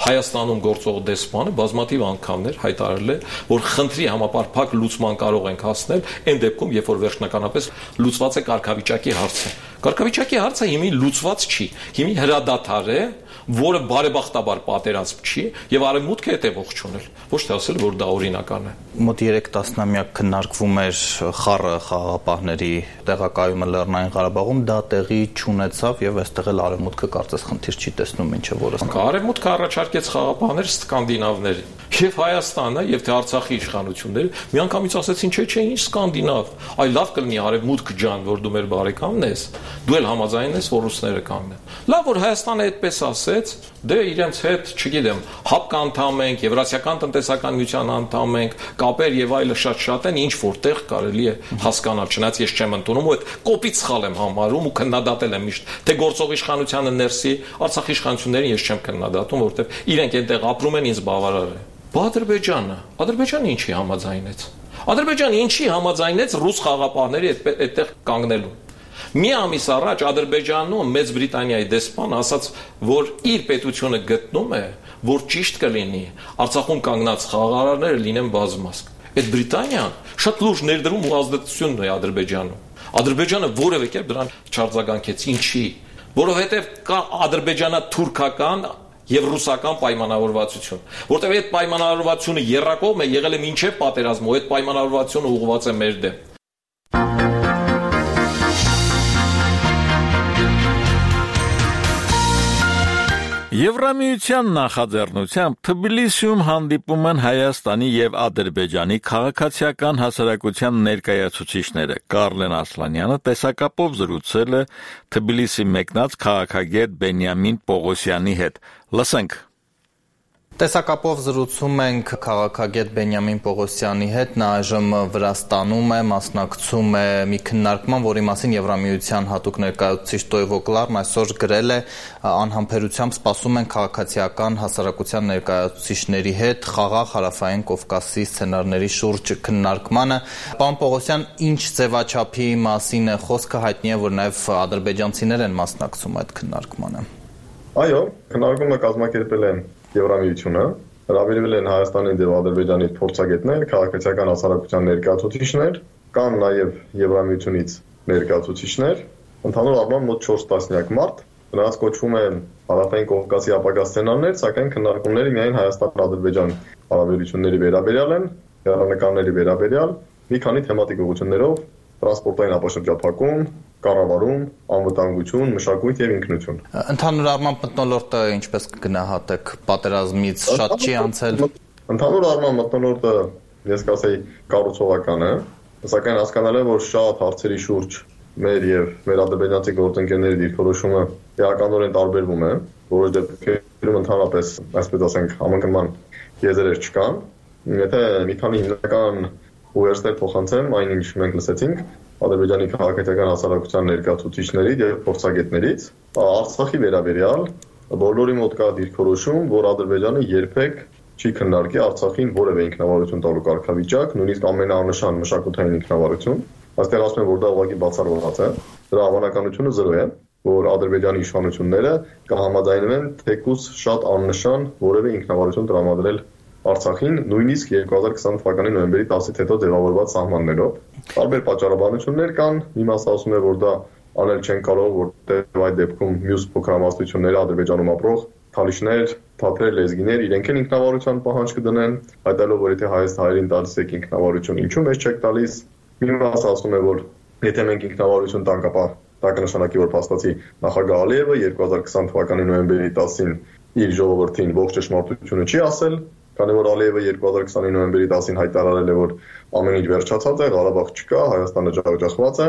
Հայաստանում գործող դեսպանը բազմաթիվ անգամներ հայտարարել է, որ խնդրի համապարփակ լուծման կարող ենք հասնել այն դեպքում, երբ որ վերջնականապես լուծված է կարգավիճակի հարցը։ Կարգավիճակի հարցը հիմի լուծված չի, հիմի հրադադար է, որը բարեբախտաբար պատերազմ չի եւ արևմուտքը հետ է ողջունել, ոչ թե ասել, որ դա օրինական է։ Մոտ երեք տասնամյակ քննարկվում էր խառը խաղաղապահների տեղակայումը Լեռնային Ղարաբաղում, դա տեղի չունեցավ եւ այստեղ էլ արևմուտքը կարծես խնդիր չի տեսնում, ինչը որը արևմուտքը առաջարկեց խաղաղապահներ սկանդինավների եւ Հայաստանը եւ թե Արցախի իշխանությունները միանգամից ասեցին, չէ, չէ, ինչ սկանդինավ, այ լավ կլինի արևմուտք ջան, որ դու մեր բարեկամն ես, դու էլ համաձայն ես, որ ռուսները կանեն։ Լավ, որ Հայաստանը այդպես ասեց, դե իրենց հետ, չգիտեմ, հապկ անդամ ենք, Եվրասիական տնտեսական միության անդամ ենք, կապեր եւ այլը շատ-շատ են, ինչ որտեղ կարելի է հասկանալ, չնայած ես չեմ ընդունում ու այդ կոպիտ սխալ եմ համարում ու քննադատել եմ միշտ, թե գործող իշխանությանը ներսի, Արցախի իշխանություններին ես չեմ քննադատում, որովհետեւ իրենք այնտեղ ապրում են, ինձ բավարար է։ Բա Ադրբեջանը, Ադրբեջանը ինչի համաձայնեց։ Ադրբեջանը ինչի համաձայնեց ռուս խաղաղապահների այդտեղ կանգնելուն։ Մի ամիս առաջ Ադրբեջանում Մեծ Բրիտանիայի դեսպան ասաց, որ իր պետությունը գտնում է, որ ճիշտ կլինի Արցախում կանգնած խաղաղարարները լինեն բազմազգ։ Այդ Բրիտանիան շատ լուրջ ներդրում ու ազդեցություն ունի Ադրբեջանում։ Ադրբեջանը որևէ կերպ դրան չարձագանքեց, ինչի, որովհետև կա ադրբեջանա-թուրքական եւ ռուսական պայմանավորվածություն, որտեղ այդ պայմանավորվածությունը երրակողմ է եղել է մինչեւ պատերազմը, ու այդ պայմանավորվածությունը ուղղված է մեր դեմ։ Եվրամիության նախաձեռնությամբ Թբիլիսիում հանդիպում են Հայաստանի եւ Ադրբեջանի քաղաքացիական հասարակության ներկայացուցիչները։ Կարլեն Ասլանյանը տեսակապով զրուցել է Թբիլիսի մեկնած քաղաքագետ Բենյամին Պողոսյանի հետ։ Լսենք։ Տեսակապով զրուցում ենք քաղաքագետ Բենյամին Պողոսյանի հետ, նա այժմ Վրաստանում է, մասնակցում է մի քննարկման, որի մասին Եվրամիության հատուկ ներկայացուցիչ Տոյվո Կլարն այսօր գրել է, անհամբերությամբ սպասում են քաղաքացիական հասարակության ներկայացուցիչների հետ խաղաղ Հարավային Կովկասի սցենարների շուրջ քննարկմանը։ Պարոն Պողոսյան, ինչ ձևաչափի մասին է խոսքը, հայտնի է, որ նաև ադրբեջանցիներ են մասնակցում այդ քննարկմանը։ Այո, քննարկումը կազմակերպել են Եվրամիությունը, հրավիրվել են Հայաստանի եւ Ադրբեջանի փորձագետներ, քաղաքացիական հասարակության ներկայացուցիչներ, կան նաեւ Եվրամիությունից ներկայացուցիչներ, ընդհանուր առմամբ մոտ չորս տասնյակ մարդ, նրանց կոչվում են Հարավային Կովկասի ապագա սցենարներ, սակայն քննարկումները միայն Հայաստան-Ադրբեջան հարաբերությունների վերաբերյալ են, հեռանկարների վերաբերյալ, մի քանի թեմատիկ ուղղություններով, տրանսպորտային ապաշրջափակում, կառավարում, անվտանգություն, մշակույթ եւ ինքնություն։ Ընդհանուր առմամբ մթնոլորտը ինչպես կգնահատեք, պատերազմից շատ չի անցել։ Ընդհանուր առմամբ մթնոլորտը ես կասեի կառուցողական է, սակայն հասկանալ եմ, որ շատ հարցերի շուրջ մեր եւ մեր ադրբեջանցի գործընկերների դիրքորոշումը էականորեն տարբերվում է, որոշ դեպքերում ընդհանրապես, այսպես ասենք, համընկնման եզրեր չկան։ Եթե մի քանի հիմնական ուղերձներ փոխանցեմ այն ինչ մենք լսեցինք Ադրբեջանի քաղաքացիական հասարակության ներկայացուցիչներից եւ փորձագետներից, Արցախի վերաբերյալ բոլորի մոտ կա դիրքորոշում, որ Ադրբեջանը երբեք չի քննարկի Արցախին որևէ ինքնավարություն տալու կարգավիճակ, նույնիսկ ամենաանշան մշակութային ինքնավարություն։ Այստեղ ասում են, որ դա ուղղակի բացառված է, դրա հավանականությունը զրո է, որ Ադրբեջանի իշխանությունները կհամաձայնվեն թեկուզ շատ աննշան որևէ ինքնավարություն տրամադրել Արցախին, նույնիսկ երկու հազար քսան թվականի նոյեմբերի տասից հետո ձևավորված սահմաններով։ Տարբեր պատճառաբանություններ կան, մի մասը ասում է, որ դա անել չեն կարող, որտեղ այդ դեպքում մյուս փոքրամասնությունները Ադրբեջանում ապրող թալիշներ, թաթեր, լեզգիներ իրենք են ինքնավարության պահանջ կդնեն, հայտարարելով, որ եթե հայոց հայերին տալիս եք ինքնավարություն, ինչու մեզ չեք տալիս։ Մի մասը ասում է, որ եթե մենք ինքնավարություն տանք, ապա դա կնշանակի, որ փաստացի նախագահ Ալիևը երկու հազար քսան թվականի նոյեմբերի տասին իր ժողովրդին ողջ ճշմարտությունը չի ասել, քանի որ Ալիևը երկու հազար քսանի նոյեմբերի տասին հայտարարել է, որ ամեն ինչ վերջացած է, Ղարաբաղ չկա, Հայաստանը ջախջախված է,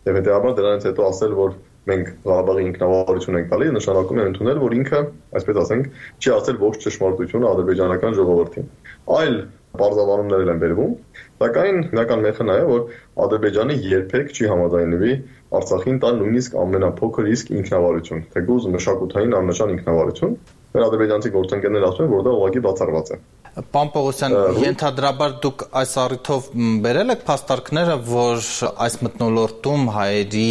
եւ հետեւաբար դրանից հետո ասել, որ մենք Ղարաբաղի ինքնավարություն ենք տալիս, նշանակում է ընդունել, որ ինքը, այսպես ասենք, չի ասել ողջ ճշմարտությունը ադրբեջանական ժողովրդին։ Այլ բարձրավանումներ են բերվում, սակայն հիմնական մեխը նա է, որ Ադրբեջանը երբեք չի համաձայնվի Արցախին տալ նույնիսկ ամենափոքր իսկ ինքնավարություն, թեկուզ մշակութային աննշան ինքնավարություն։ Մեր ադրբեջանցի գործընկերները ասում են, որ դա ուղղակի բացառված է։ Պարոն Պողոսյան, ենթադրաբար դուք այս առիթով բերել եք փաստարկները, որ այս մթնոլորտում հայերի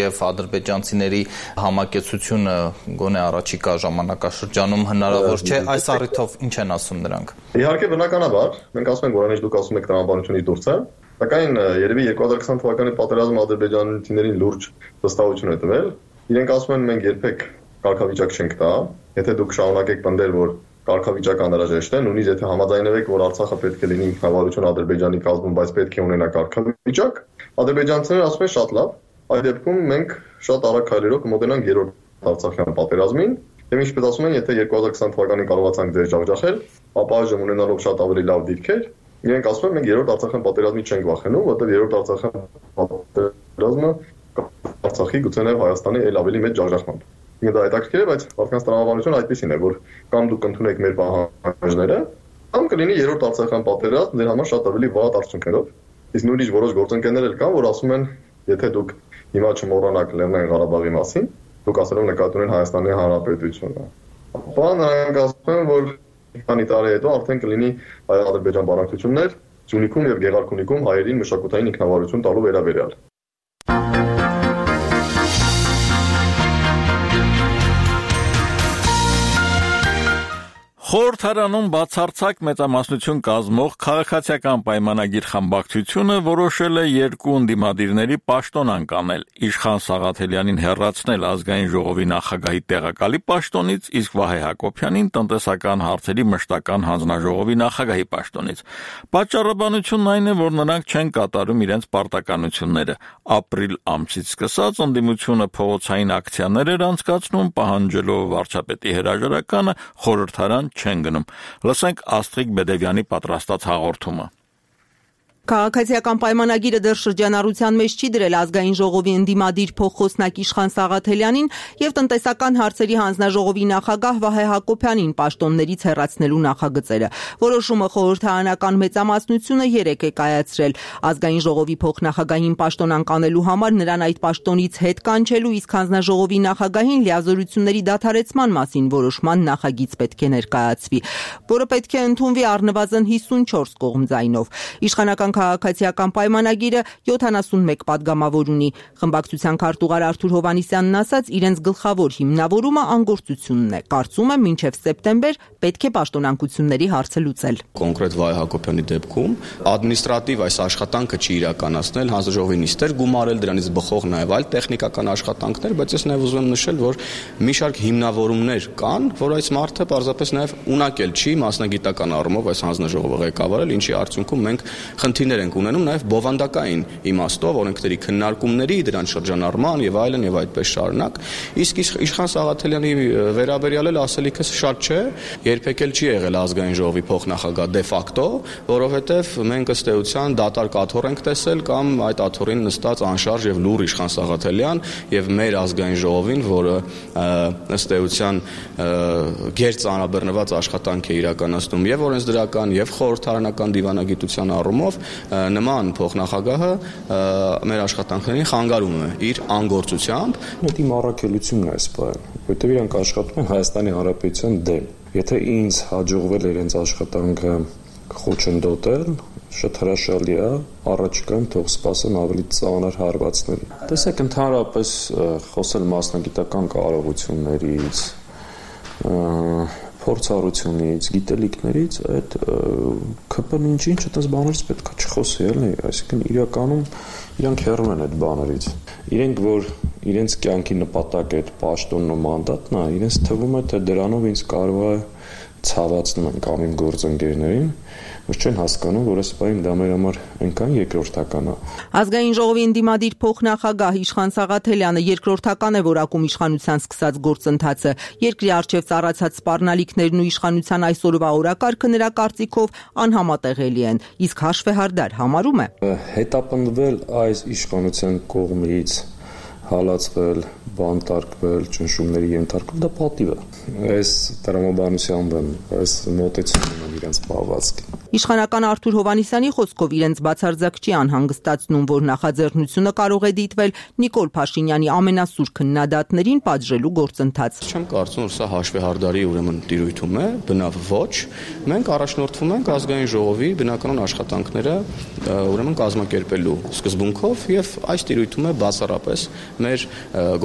եւ ադրբեջանցիների համակեցությունը գոնե առաջիկա ժամանակաշրջանում հնարավոր չէ, այս առիթով ինչ են ասում նրանք։ Իհարկե բնականաբար, մենք ասում ենք, որ այնպես դուք ասում եք տրամաբանությունից դուրս է, սակայն երևի երկու հազար քսան թվականի պատերազմը ադրբեջանցիներին լուրջ վստահություն է տվել։ Իրենք ասում են, մենք երբեք կարգավիճակ չենք տա, եթե դուք շարունակեք պնդել, որ կարգավիճակ անհրաժեշտ է, նույնիսկ եթե համաձայնվեք, որ Արցախը պետք է լինի ինքնավարություն Ադրբեջանի կազմում, բայց պետք է ունենա կարգավիճակ, ադրբեջանցիները ասում են շատ լավ, այդ դեպքում մենք շատ արագ քայլերով կմոտենանք երրորդ Արցախյան պատերազմին, եւ ինչպես ասում են, եթե երկու հազար քսան թվականին կարողացանք ձեր ջախջախել, ապա այժմ ունենալով շատ ավելի լավ դիրքեր, իրենք ասում են, մենք երրորդ Արցախյան պատերազմից չենք վախենում, որովհետեւ երրորդ Արցախյան պատերազմը Արցախի գուցե նաև Հայաստանի էլ ավելի մեծ ջախջախմամբ։ Ինքը դա հետաքրքիր է, բայց մարդկանց տրամաբանությունը այդպեսին է, որ կամ դուք ընդունեք մեր պահանջները, կամ կլինի երրորդ Արցախյան պատերազմ ձեր համար շատ ավելի վատ արդյունքներով։ Իսկ նույնիսկ որոշ գործընկերներ էլ կան, որ ասում են, եթե դուք հիմա չմոռանաք Լեռնային Ղարաբաղի մասին, դուք ասելով նկատի ունեն Հայաստանի Հանրապետությունը։ Ապա նրանք ասում են, որ քանի տարի հետո արդեն կլինի հայ-ադրբեջան բանակցություններ Սյունիքում եւ Գեղարքունիքում հայերին մշակութային ինքնավարություն տալու վերաբերյալ։ Խորհրդարանում բացարձակ մեծամասնություն կազմող քաղաքացիական պայմանագիր խմբակցությունը որոշել է երկու ընդդիմադիրների պաշտոն անկանել, Իշխան Սաղաթելյանին հեռացնել ազգային ժողովի նախագահի տեղակալի պաշտոնից, իսկ Վահե Հակոբյանին տնտեսական հարցերի մշտական հանձնաժողովի նախագահի պաշտոնից։ Պատճառաբանությունն այն է, որ նրանք չեն կատարում իրենց պարտականությունները։ Ապրիլ ամսից սկսած ընդդիմությունը փողոցային ակցիաներ էր անցկացնում, պահանջելով վարչապետի հրաժարականը, խորհրդարան չեն գնում։ Լսենք Աստրիկ Բեդևյանի պատրաստած հաղորդումը։ Քաղաքացիական պայմանագիրը դեռ շրջանառության մեջ չի դրել ազգային ժողովի ընդդիմադիր փոխխոսնակ Իշխան Սաղաթելյանին եւ տնտեսական հարցերի հանձնաժողովի նախագահ Վահե Հակոբյանին պաշտոններից հեռացնելու նախագծերը։ Որոշումը խորհրդարանական մեծամասնությունը երեկ է կայացրել։ Ազգային ժողովի փոխնախագահին պաշտոն անկանելու համար նրան այդ պաշտոնից հետ կանչելու, իսկ հանձնաժողովի նախագահին լիազորությունների դադարեցման մասին որոշման նախագիծ պետք է ներկայացվի, որը պետք է ընդունվի առնվազն հիսունչորս կողմձայնով։ Իշխանական քաղաքացիական պայմանագիրը յոթանասունմեկ պատգամավոր ունի։ Խմբակցության քարտուղար Արթուր Հովհաննիսյանն ասաց, իրենց գլխավոր հիմնավորումը անգործությունն է։ Կարծում եմ, մինչև սեպտեմբեր պետք է պաշտոնանկությունների հարցը լուծել։ Կոնկրետ Վահե Հակոբյանի դեպքում ադմինիստրատիվ այս աշխատանքը չի իրականացնել, հանձնաժողովի նիստեր գումարել, դրանից բխող նաև այլ տեխնիկական աշխատանքներ, բայց ես նաև ուզում եմ նշել, որ մի շարք հիմնավորումներ կան, որ այս մարդը պարզապես նաև ունակել չի մասնագիտական առումով այս հանձնաժողովը ղեկավարել, ինչի արդյունքում մենք խնդիրներ ենք ունենում նաև բովանդակային իմաստով, օրենքների քննարկումների, դրանց շրջանառման եւ այլն եւ այդպես շարունակ։ Իսկ Իշխան Սաղաթելյանի վերաբերյալ էլ ասելիքս շատ չէ, երբեք էլ չի եղել ազգային ժողովի փոխնախագահ դե ֆակտո, որովհետեւ մենք ըստ էության դատարկ աթոռ ենք տեսել կամ այդ աթոռին նստած անշարժ եւ լուր Իշխան Սաղաթելյան եւ մեր ազգային ժողովին, որը ըստ էության գերծ անաբեռնված աշխատանք է իրականացնում եւ օրենսդրական եւ խորհրդարանական դիվանագիտության առումով, նման փոխնախագահը մեր աշխատանքներին խանգարում է իր անգործությամբ։ Դա իմ առաքելությունն է այս բանը, որովհետեւ իրանք աշխատում են Հայաստանի Հանրապետության դեմ։ Եթե ինձ հաջողվել է իրենց աշխատանքը խոչընդոտել, շատ հրաշալի է, առաջիկայում թող սպասեն ավելի ծանր հարվածների։ Տեսեք, ընդհանրապես խոսել մասնագիտական կարողություններից, փորձառությունից, գիտելիքներից, այդ ԿՊ-ն ինչ-ինչ այդպես բաներից պետք է չխոսի, էլի, այսինքն իրականում իրանք հեռվում են այդ բաներից։ Իրենք, որ իրենց կյանքի նպատակը այդ պաշտոնն ու մանդատն է, իրենց թվում է, թե դրանով ինձ կարող է ցավացնում են կամ իմ գործընկերներին, որ չեն հասկանում, որ այս բանը դա մեր համար այնքան երկրորդական է։ Ազգային ժողովի ընդդիմադիր փոխնախագահ Իշխան Սաղաթելյանը երկրորդական է որակում իշխանության սկսած գործընթացը։ Երկրի առջև ծառացած սպառնալիքներն ու իշխանության այսօրվա օրակարգը նրա կարծիքով անհամատեղելի են, իսկ հաշվեհարդար համարում է հետապնդվել այս իշխանության կողմից, հալածվել, բանտարկվել, ճնշումների ենթարկվել, դա պատիվ է։ Այս տրամաբանությամբ են, այս մոտեցումն են իրենց բաղվածքի։ Իշխանական Արթուր Հովհաննիսյանի խոսքով իրենց բացարձակ չի անհանգստացնում, որ նախաձեռնությունը կարող է դիտվել Նիկոլ Փաշինյանի ամենասուր քննադատներին պատժելու գործընթաց։ Չեմ կարծում, որ սա հաշվեհարդարի ուրեմն տիրույթում է, բնավ ոչ։ Մենք առաջնորդվում ենք ազգային ժողովի բնականon աշխատանքները ուրեմն կազմակերպելու սկզբունքով եւ այս տիրույթում է բացառապես մեր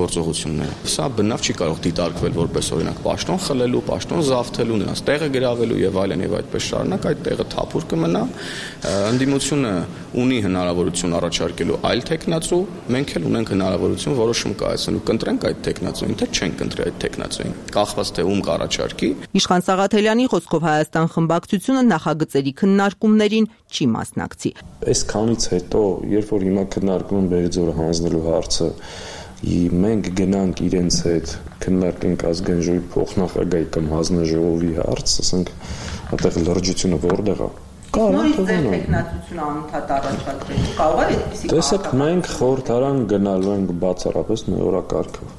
գործողությունները։ Սա բնավ չի կարող դիտարկվել որպես օրինակ պաշտոն խլելու, պաշտոն զավթելու, նրանց տեղը գրավելու եւ այլն եւ այդպես շարունակ, այդ տեղը թափուր կմնա։ Ընդդիմությունը ունի հնարավորություն առաջարկելու այլ տեխնացու, մենք էլ ունենք հնարավորություն որոշում կայացնելու, կընտրենք այդ տեխնացուին, թե չենք կընտրի այդ տեխնացուին, կախված թե ում կառաջարկի։ Իշխան Սաղաթելյանի խոսքով Հայաստան խմբակցությունը նախագծերի քննարկումներին չի մասնակցի։ Այսքանից հետո, երբ որ հիմա քննարկում են Բերձորը հանձնելու հարցը, մենք գնանք իրենց հետ քննարկենք ազգային ժողովի փոխնախագահի կամ հանձնաժողովի հարց, ասենք, այդտեղ լրջությունը որտեղ է։ Նորից ձեր տեխնացությունը անընդհատ առաջադրել, կարող է այդպիսի։ Տեսեք, մենք խորհրդարան գնալու ենք բացառապես մեր օրակարգով։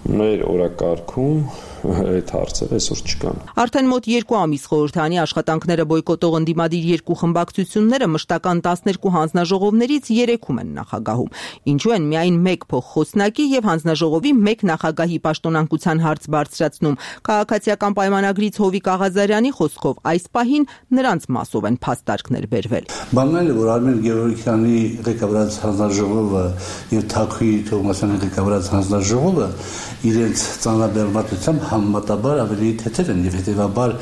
Մեր օրակարգում այդ հարցերը այսօր չկան։ Արդեն մոտ երկու ամիս խորհրդանի աշխատանքները բոյկոտող ընդդիմադիր երկու խմբակցությունները մշտական տասներկու հանձնաժողովներից երեքում են նախագահում։ Ինչու են միայն մեկ փոխխոսնակի եւ հանձնաժողովի մեկ նախագահի պաշտոնանկության հարց բարձրացնում։ Քաղաքացիական պայմանագրից Հովիկ Աղազարյանի խոսքով այս պահին նրանց մասով են փաստարկներ բերվել։ Բանն է, որ Արմեն Գևորգյանի ղեկավարած հանձնաժողովը եւ Թաքուի Թովմասյանի ղեկավարած հանձնաժողովը իրենց ծանրաբեռնվածությամբ համեմատաբար ավելի թեթև են եւ հետեւաբար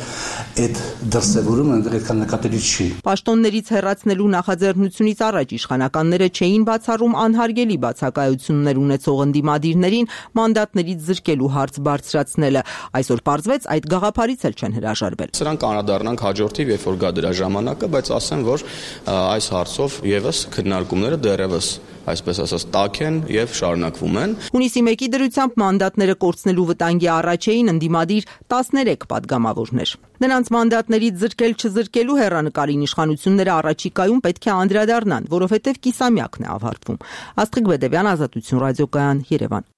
այդ դրսեւորումը այնտեղ այդքան նկատելի չի։ Պաշտոններից հեռացնելու նախաձեռնությունից առաջ իշխանականները չէին բացառում անհարգելի բացակայություններ ունեցող ընդդիմադիրներին մանդատներից զրկելու հարց բարձրացնելը։ Այսօր պարզվեց այդ գաղափարից էլ չեն հրաժարվել։ Սրանք անդրադառնանք հաջորդիվ, երբ որ գա դրա ժամանակը, բայց ասեմ, որ այս հարցով եւս քննարկումները դեռևս այսպես ասած տաք են եւ շարունակվում են։ Հունիսի մեկի դրությամբ մանդատները կորցնելու վտանգի առաջ էին ընդդիմադիր տասներեք падգամավորներ։ Նրանց մանդատներից զրկել չզրկելու հեռանկարին իշխանությունները առաջիկայում պետք է անդրադառնան, որովհետեւ կիսամյակն է ավարտվում։ Աստղիկ Բեդևյան, Ազատություն ռադիոկայան, Երևան։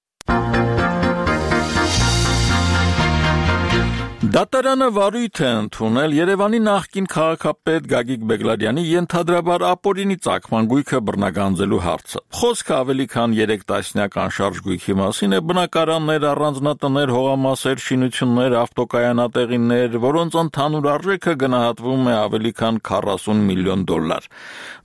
Դատարանը վարույթ է ընդունել Երևանի նախկին քաղաքապետ Գագիկ Բեգլարյանի ենթադրաբար ապօրինի ծագման գույքը բռնագանձելու հարցը։ Խոսքը ավելի քան երեք տասնյակ անշարժ գույքի մասին է, բնակարաններ, առանձնատներ, հողամասեր, շինություններ, ավտոկայանատեղիներ, որոնց ընդհանուր արժեքը գնահատվում է ավելի քան քառասուն միլիոն դոլար։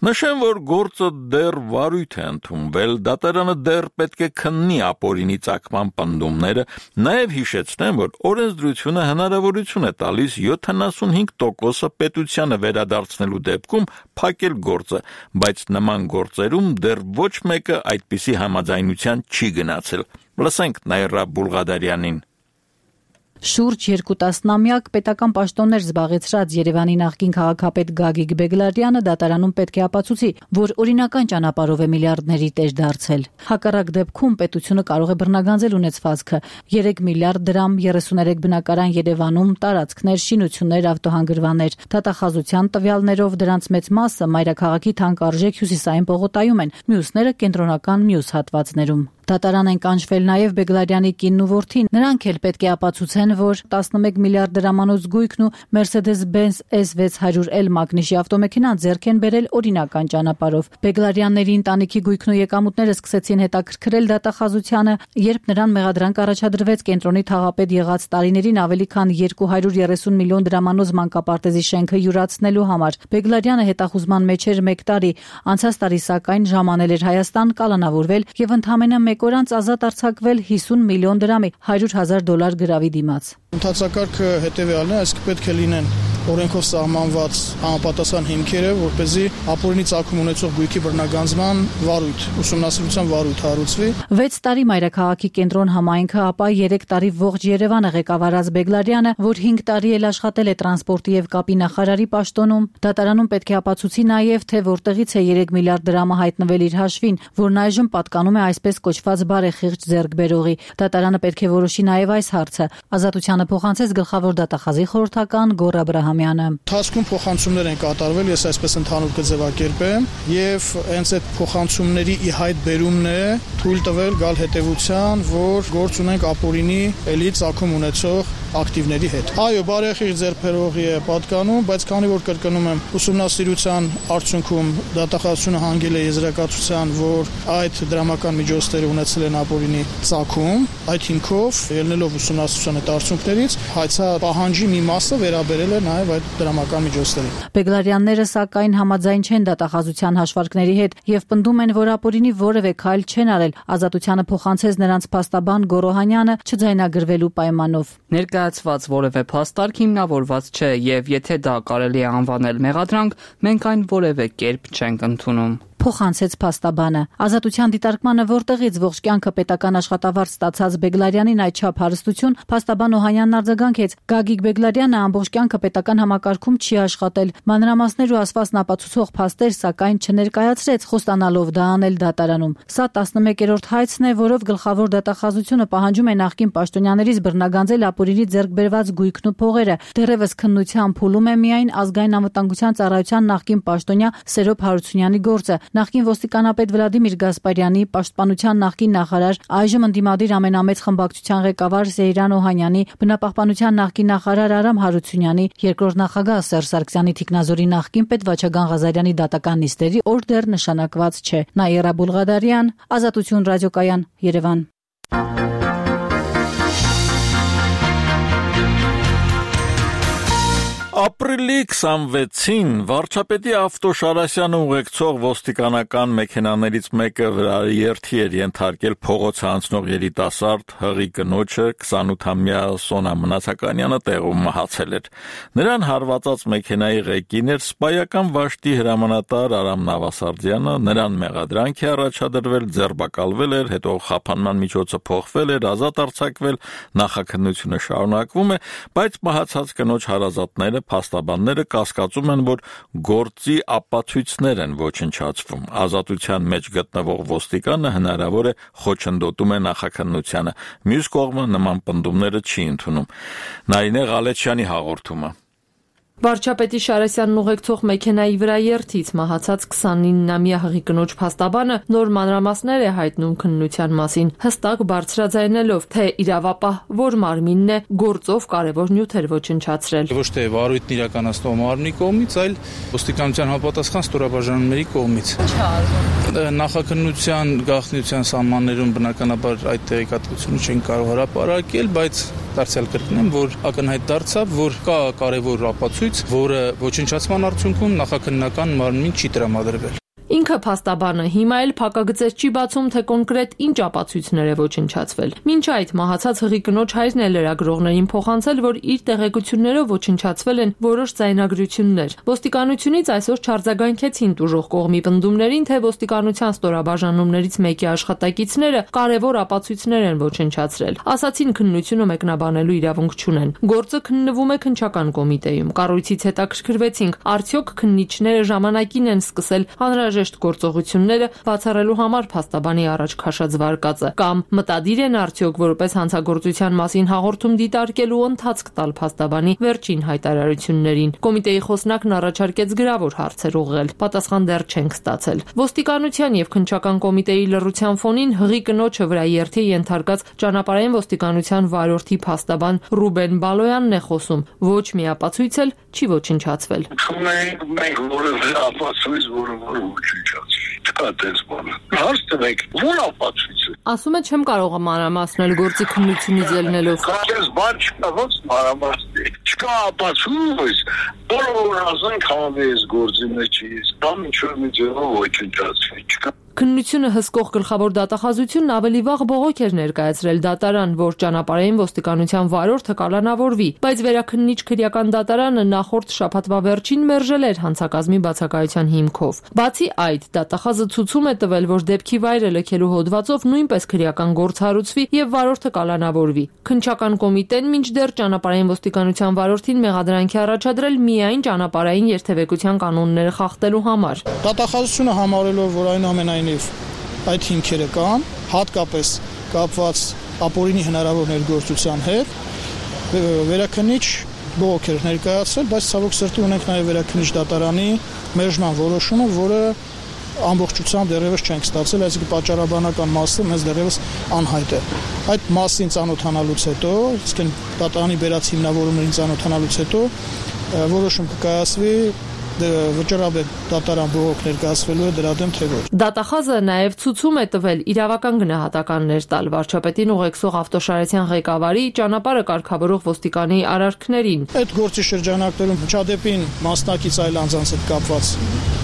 Նշեմ, որ գործը դեռ վարույթ է ընդունվել, դատարանը դեռ պետք է քննի ապօրինի ծագման պնդումները, նաև հիշեցնեմ, որ օրենսդրությունը հնարավորություն է տալիս յոթանասունհինգ տոկոսը պետությանը վերադարձնելու դեպքում փակել գործը, բայց նման գործերում դեռ ոչ մեկը այդպիսի համաձայնության չի գնացել։ Լսենք Նաիրա Բուլղադարյանին։ Շուրջ երկու տասնամյակ պետական պաշտոններ զբաղեցրած Երևանի նախկին քաղաքապետ Գագիկ Բեգլարյանը դատարանում պետք է ապացուցի, որ օրինական ճանապարհով է միլիարդների տեր դարձել։ Հակառակ դեպքում պետությունը կարող է բռնագանձել ունեցվածքը՝ երեք միլիարդ դրամ, երեսուներեք բնակարան Երևանում, տարածքներ, շինություններ, ավտոհանգրվաններ։ Դատախազության տվյալներով դրանց մեծ մասը մայրաքաղաքի թանկարժեք հյուսիսային պողոտայում են, մյուսները կենտրոնական մյուս հատվածներում։ Դատարան են կանչվել նաև Բեգլարյանի կինն ու որդին։ Նրանք էլ պետք է ապացուցեն, որ տասնմեկ միլիարդ դրամանոց գույքն ու Mercedes-Benz S six hundred L մագնիշի ավտոմեքենան ձեռք են բերել օրինական ճանապարհով։ Բեգլարյանների ընտանիքի գույքն ու եկամուտները սկսեցին հետաքրքրել դատախազությանը, երբ նրան մեղադրանք առաջադրվեց կենտրոնի թաղապետ եղած տարիներին ավելի քան երկու հարյուր երեսուն միլիոն դրամանոց մանկապարտեզի շենքը յուրացնելու համար։ Բեգլարյանը հետախուզման մեջ էր մեկ տարի, անցած տարի սակայն ժամանել էր Հայաստան, կալանավորվել եւ ընդամենը մեկ օր անց ազատ արձակվել հիսուն միլիոն դրամի հարյուր հազար դոլար գրավի դիմաց։ Ընդհանրակարգը հետևյալն է, այսինքն պետք է լինեն օրենքով սահմանված համապատասխան հիմքերը, որպեսզի ապօրինի ծագում ունեցող գույքի բռնագանձման վարույթ, ուսումնասիրության վարույթ հարուցվի։ վեց տարի մայրաքաղաքի կենտրոն համայնքը, ապա երեք տարի ողջ Երևանը ղեկավարած Բեգլարյանը, որ հինգ տարի էլ աշխատել է տրանսպորտի եւ կապի նախարարի պաշտոնում, դատարանում պետք է ապացուցի նաեւ, թե որտեղից է երեք միլիարդ դրամը հայտնվել իր հաշվին, որն այժմ պատկանում է այսպես կոչված բարեխիղճ ձեռքբերողի։ Դատարանը պետք է որոշի նաեւ այս հարցը։ Ազատությանը փոխանցեց գլխավոր դատախազի խորհրդական Գոռ Աբ Աբրահամյանը։ Թասկում փոխանցումներ են կատարվել, ես այսպես ընդհանուր կձևակերպեմ, եւ հենց այդ փոխանցումների ի հայտ բերումն է թույլ տվել գալ հետեւության, որ գործ ունենք ապօրինի էլի ցակում ունեցող ակտիվների հետ։ Այո, բարեխիղճ ձեռքբերողի է պատկանում, բայց քանի որ կրկնում եմ, ուսումնասիրության արդյունքում դատախազությունը հանգել է եզրակացության, որ այդ դրամական միջոցները ունեցել են ապօրինի ցակում, այդ հիմքով ելնելով ուսումնասիրության այդ արդյունքներից, հայցա պահանջի մի մասը վերաբերել է նաև այդ դրամական միջոցներին։ Բեգլարյանները սակայն համաձայն չեն դատախազության հաշվարկների հետ եւ պնդում են, որ ապօրինի որևէ քայլ չեն արել։ Ազատությանը փոխանցեց նրանց փաստաբան Գորոհանյանը չձայնագրվելու պայմանով։ Ներկայացված որևէ փաստարկ հիմնավորված չէ եւ եթե դա կարելի է անվանել մեղադրանք, մենք այն որևէ կերպ չենք ընդունում։ Փոխանցեց փաստաբանը։ Ազատության դիտարկմանը, որտեղից ողջ կյանքը պետական աշխատավարձ ստացած Բեգլարյանին այդչափ հարստություն, փաստաբան Օհանյանն արձագանքեց. Գագիկ Բեգլարյանը ամբողջ կյանքը պետական համակարգում չի աշխատել։ Մանրամասներ ու ասվածն ապացուցող փաստեր սակայն չներկայացրեց, խոստանալով դա անել դատարանում։ Սա տասնմեկերորդ հայցն է, որով գլխավոր դատախազությունը պահանջում է նախկին պաշտոնյաներից բռնագանձել ապօրինի ձեռք բերված գույքն ու փողերը։ Դեռևս քննության փուլում է միայն ազգային անվտանգության ծառայության նախկին պաշտոնյա Սերոբ Հարությունյանի գործը։ Նախկին ոստիկանապետ Վլադիմիր Գասպարյանի, պաշտպանության նախկին նախարար, այժմ ընդդիմադիր ամենամեծ խմբակցության ղեկավար Սեյրան Օհանյանի, բնապահպանության նախկին նախարար Արամ Հարությունյանի, երկրորդ նախագահ Սերժ Սարգսյանի թիկնազորի նախկին պետ Վաչագան Ղազարյանի դատական նիստերի օր դեռ նշանակված չէ։ Նաիրա Բուլղադարյան, Ազատություն ռադիոկայան, Երևան։ Ապրիլի քսանվեցին վարչապետի ավտոշարասյանը ուղեկցող ոստիկանական մեքենաներից մեկը վրաերթի էր ենթարկել փողոցը անցնող երիտասարդ հղի կնոջը, քսանութամյա Սոնա Մնացականյանը տեղում մահացել էր։ Նրան հարվածած մեքենայի ղեկին էր սպայական վաշտի հրամանատար Արամ Նավասարդյանը, նրան մեղադրանք է առաջադրվել, ձերբակալվել էր, հետո խափանման միջոցը փոխվել էր, ազատ արձակվել, նախաքննությունը շարունակվում է, բայց մահացած կնոջ հարազատները փաստաբանները կասկածում են, որ գործի ապացույցներ են ոչնչացվում։ Ազատության մեջ գտնվող ոստիկանը հնարավոր է խոչընդոտում է նախաքննությանը։ Մյուս կողմը նման պնդումները չի ընդունում։ Նայինե Ղալեչյանի հաղորդումը։ Վարչապետի Շարասյանն ուղեկցող մեքենայի վրա երթից մահացած քսանիննամյա հղի կնոջ փաստաբանը նոր մանրամասներ է հայտնում քննության մասին, հստակ բարձրաձայնելով, թե իրավապահ որ մարմինն է գործով կարևոր նյութեր ոչնչացրել։ Ոչ թե վարույթն իրականացնող մարմնի կողմից, այլ ոստիկանության համապատասխան ստորաբաժանումների կողմից։ Նախաքննության գաղտնիության սահմաններում բնականաբար այդ տեղեկատվությունը չեն կարող հրապարակել, բայց դարձյալ կրկնեմ, որ ակնհայտ դարձավ, որ կա կարևոր ապացույց, որը ոչնչացման արդյունքում նախաքննական մարմնին չի տրամադրվել։ Ինքը փաստաբանը հիմա էլ փակագծեր չի բացում, թե կոնկրետ ինչ ապացույցներ է ոչնչացվել։ Մինչ այդ մահացած հղի կնոջ հայրն է լրագրողներին փոխանցել, որ իր տեղեկություններով ոչնչացվել են որոշ ձայնագրություններ։ Ոստիկանությունից այսօր չարձագանքեցին տուժող կողմի պնդումներին, թե ոստիկանության ստորաբաժանումներից մեկի աշխատակիցները կարևոր ապացույցներ են ոչնչացրել։ Ասացին քննությունը մեկնաբանելու իրավունք չունեն։ Գործը քննվում է քննչական կոմիտեում։ Կառույցից հետաքրքրվեցինք, արդյոք քննիչները ժամանակին են սկսել անհրաժեշտ գործողությունները բացառելու համար փաստաբանի առաջ քաշած վարկածը, կամ մտադիր են արդյոք որպես հանցագործության մասին հաղորդում դիտարկելու ընթացք տալ փաստաբանի վերջին հայտարարություններին։ Կոմիտեի խոսնակն առաջարկեց գրավոր հարցեր ուղղել, պատասխան դեռ չենք ստացել։ Ոստիկանության եւ քննչական կոմիտեի լռության ֆոնին հղի կնոջը վրա երթի ենթարկած ճանապարհային ոստիկանության վարորդի փաստաբան Ռուբեն Բալոյանն է խոսում։ Ոչ մի ապացույց էլ չի ոչնչացվել։ Մենք որևէ ապացույց, որը ոչնչացվի։ Չկա տես բանը։ Հարց տվեք, ո՞ր ապացույցը։ Ասում է չեմ կարող մանրամասնել գործի քննությունից ելնելով։ Քանես բան չկա, ոնց մանրամասնել։ Չկա ապացույց, որը ասենք հավես գործի մեջ է, կամ ինչ-որ մի ձևով ոչնչացվի։ Չկա։ Քննությունը հսկող գլխավոր դատախազությունն ավելի վաղ բողոք էր ներկայացրել դատարան, որ ճանապարհային ոստիկանության վարորդը կալանավորվի, բայց վերաքննիչ քրեական դատարանը նախորդ շաբաթվա վերջին մերժել էր հանցակազմի բացակայության հիմքով։ Բացի այդ, դատախազը ցուցում է տվել, որ դեպքի վայրը լքելու հոդվածով նույնպես քրեական գործ հարուցվի եւ վարորդը կալանավորվի։ Քննչական կոմիտեն մինչդեռ ճանապարհային ոստիկանության վարորդին մեղադրանքի առաջադրել միայն ճանապարհային երթևեկության կանոնները խախտելու համար։ Դատախազությունը համարելով, որ այնուամենայնիվ այդ հիմքերը կան, հատկապես կապված ապօրինի հնարավոր ներգործության հետ, վերաքննիչ բողոք էր ներկայացրել, բայց ցավոք սրտի ունենք նաև Վերաքննիչ դատարանի մերժման որոշումը, որը ամբողջությամբ դեռևս չենք ստացել, այսինքն պատճառաբանական մասը մեզ դեռևս անհայտ է։ Այդ մասին ծանոթանալուց հետո, իսկ դատարանի բերած հիմնավորումներին ծանոթանալուց հետո որոշում կկայացվի վճռաբեկ դատարան բողոք ներկայացվելու է դրա դեմ թե ոչ։ Դատախազը նաև ցուցում է տվել իրավական գնահատականներ տալ վարչապետին ուղեկցող Ավտոշարեցյան ղեկավարի ճանապարհը կարգավորող ոստիկանի արարքներին։ Այդ գործի շրջանակներում Չադեպին մասնակից այլ անձանց հետ կապված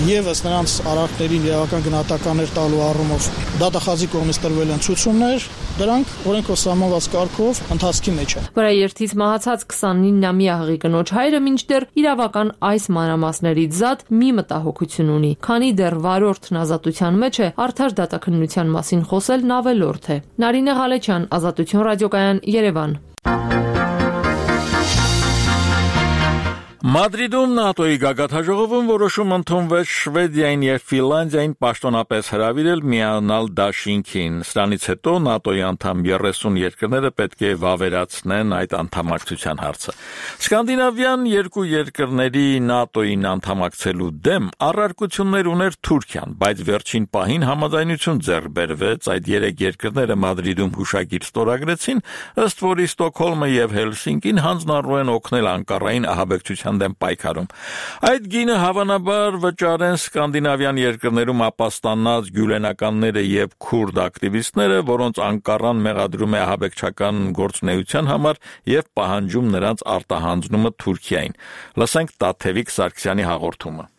եւս նրանց արարքներին իրավական գնահատականներ տալու առումով դատախազի կողմից տրվել են ցուցումներ, դրանք օրենքով սահմանված կարգով ընթացքի մեջ են։ Վրաերթից մահացած քսանինամյա հղի կնոջ հայրը մինչդեռ իրավական այս մանրամասներից զատ մի մտահոգություն ունի, քանի դեռ վարորդն ազատության մեջ է, արդար դատաքննության մասին խոսելն ավելորդ է։ Նարինե Ղալեչյան, Ազատություն ռադիոկայան, Երևան։ Մադրիդում ՆԱՏՕ-ի գագաթնաժողովում որոշում ընդունվեց Շվեդիային եւ Ֆինլանդիային պաշտոնապես հրավիրել միանալ դաշինքին։ Սրանից հետո ՆԱՏՕ-ի անդամ երեսուն երկրները պետք է վավերացնեն այդ անդամակցության հարցը։ Սկանդինավյան երկու երկրների ՆԱՏՕ-ին անդամակցելու դեմ առարկություններ ուներ Թուրքիան, բայց վերջին պահին համաձայնություն ձեռք բերվեց, այդ երեք երկրները Մադրիդում հուշագիր ստորագրեցին, ըստ որի Ստոկհոլմը եւ Հելսինկին հանձնառու են օգնել Անկարային ահաբեկչության դեմ պայքարում։ Այդ գինը հավանաբար վճարեն սկանդինավյան երկրներում ապաստանած գյուլենականները եւ քուրդ ակտիվիստները, որոնց Անկարան մեղադրում է ահաբեկչական գործունեության համար եւ պահանջում նրանց արտահանձնումը Թուրքիային։ Լսենք Տաթևիկ Սարգսյանի հաղորդումը։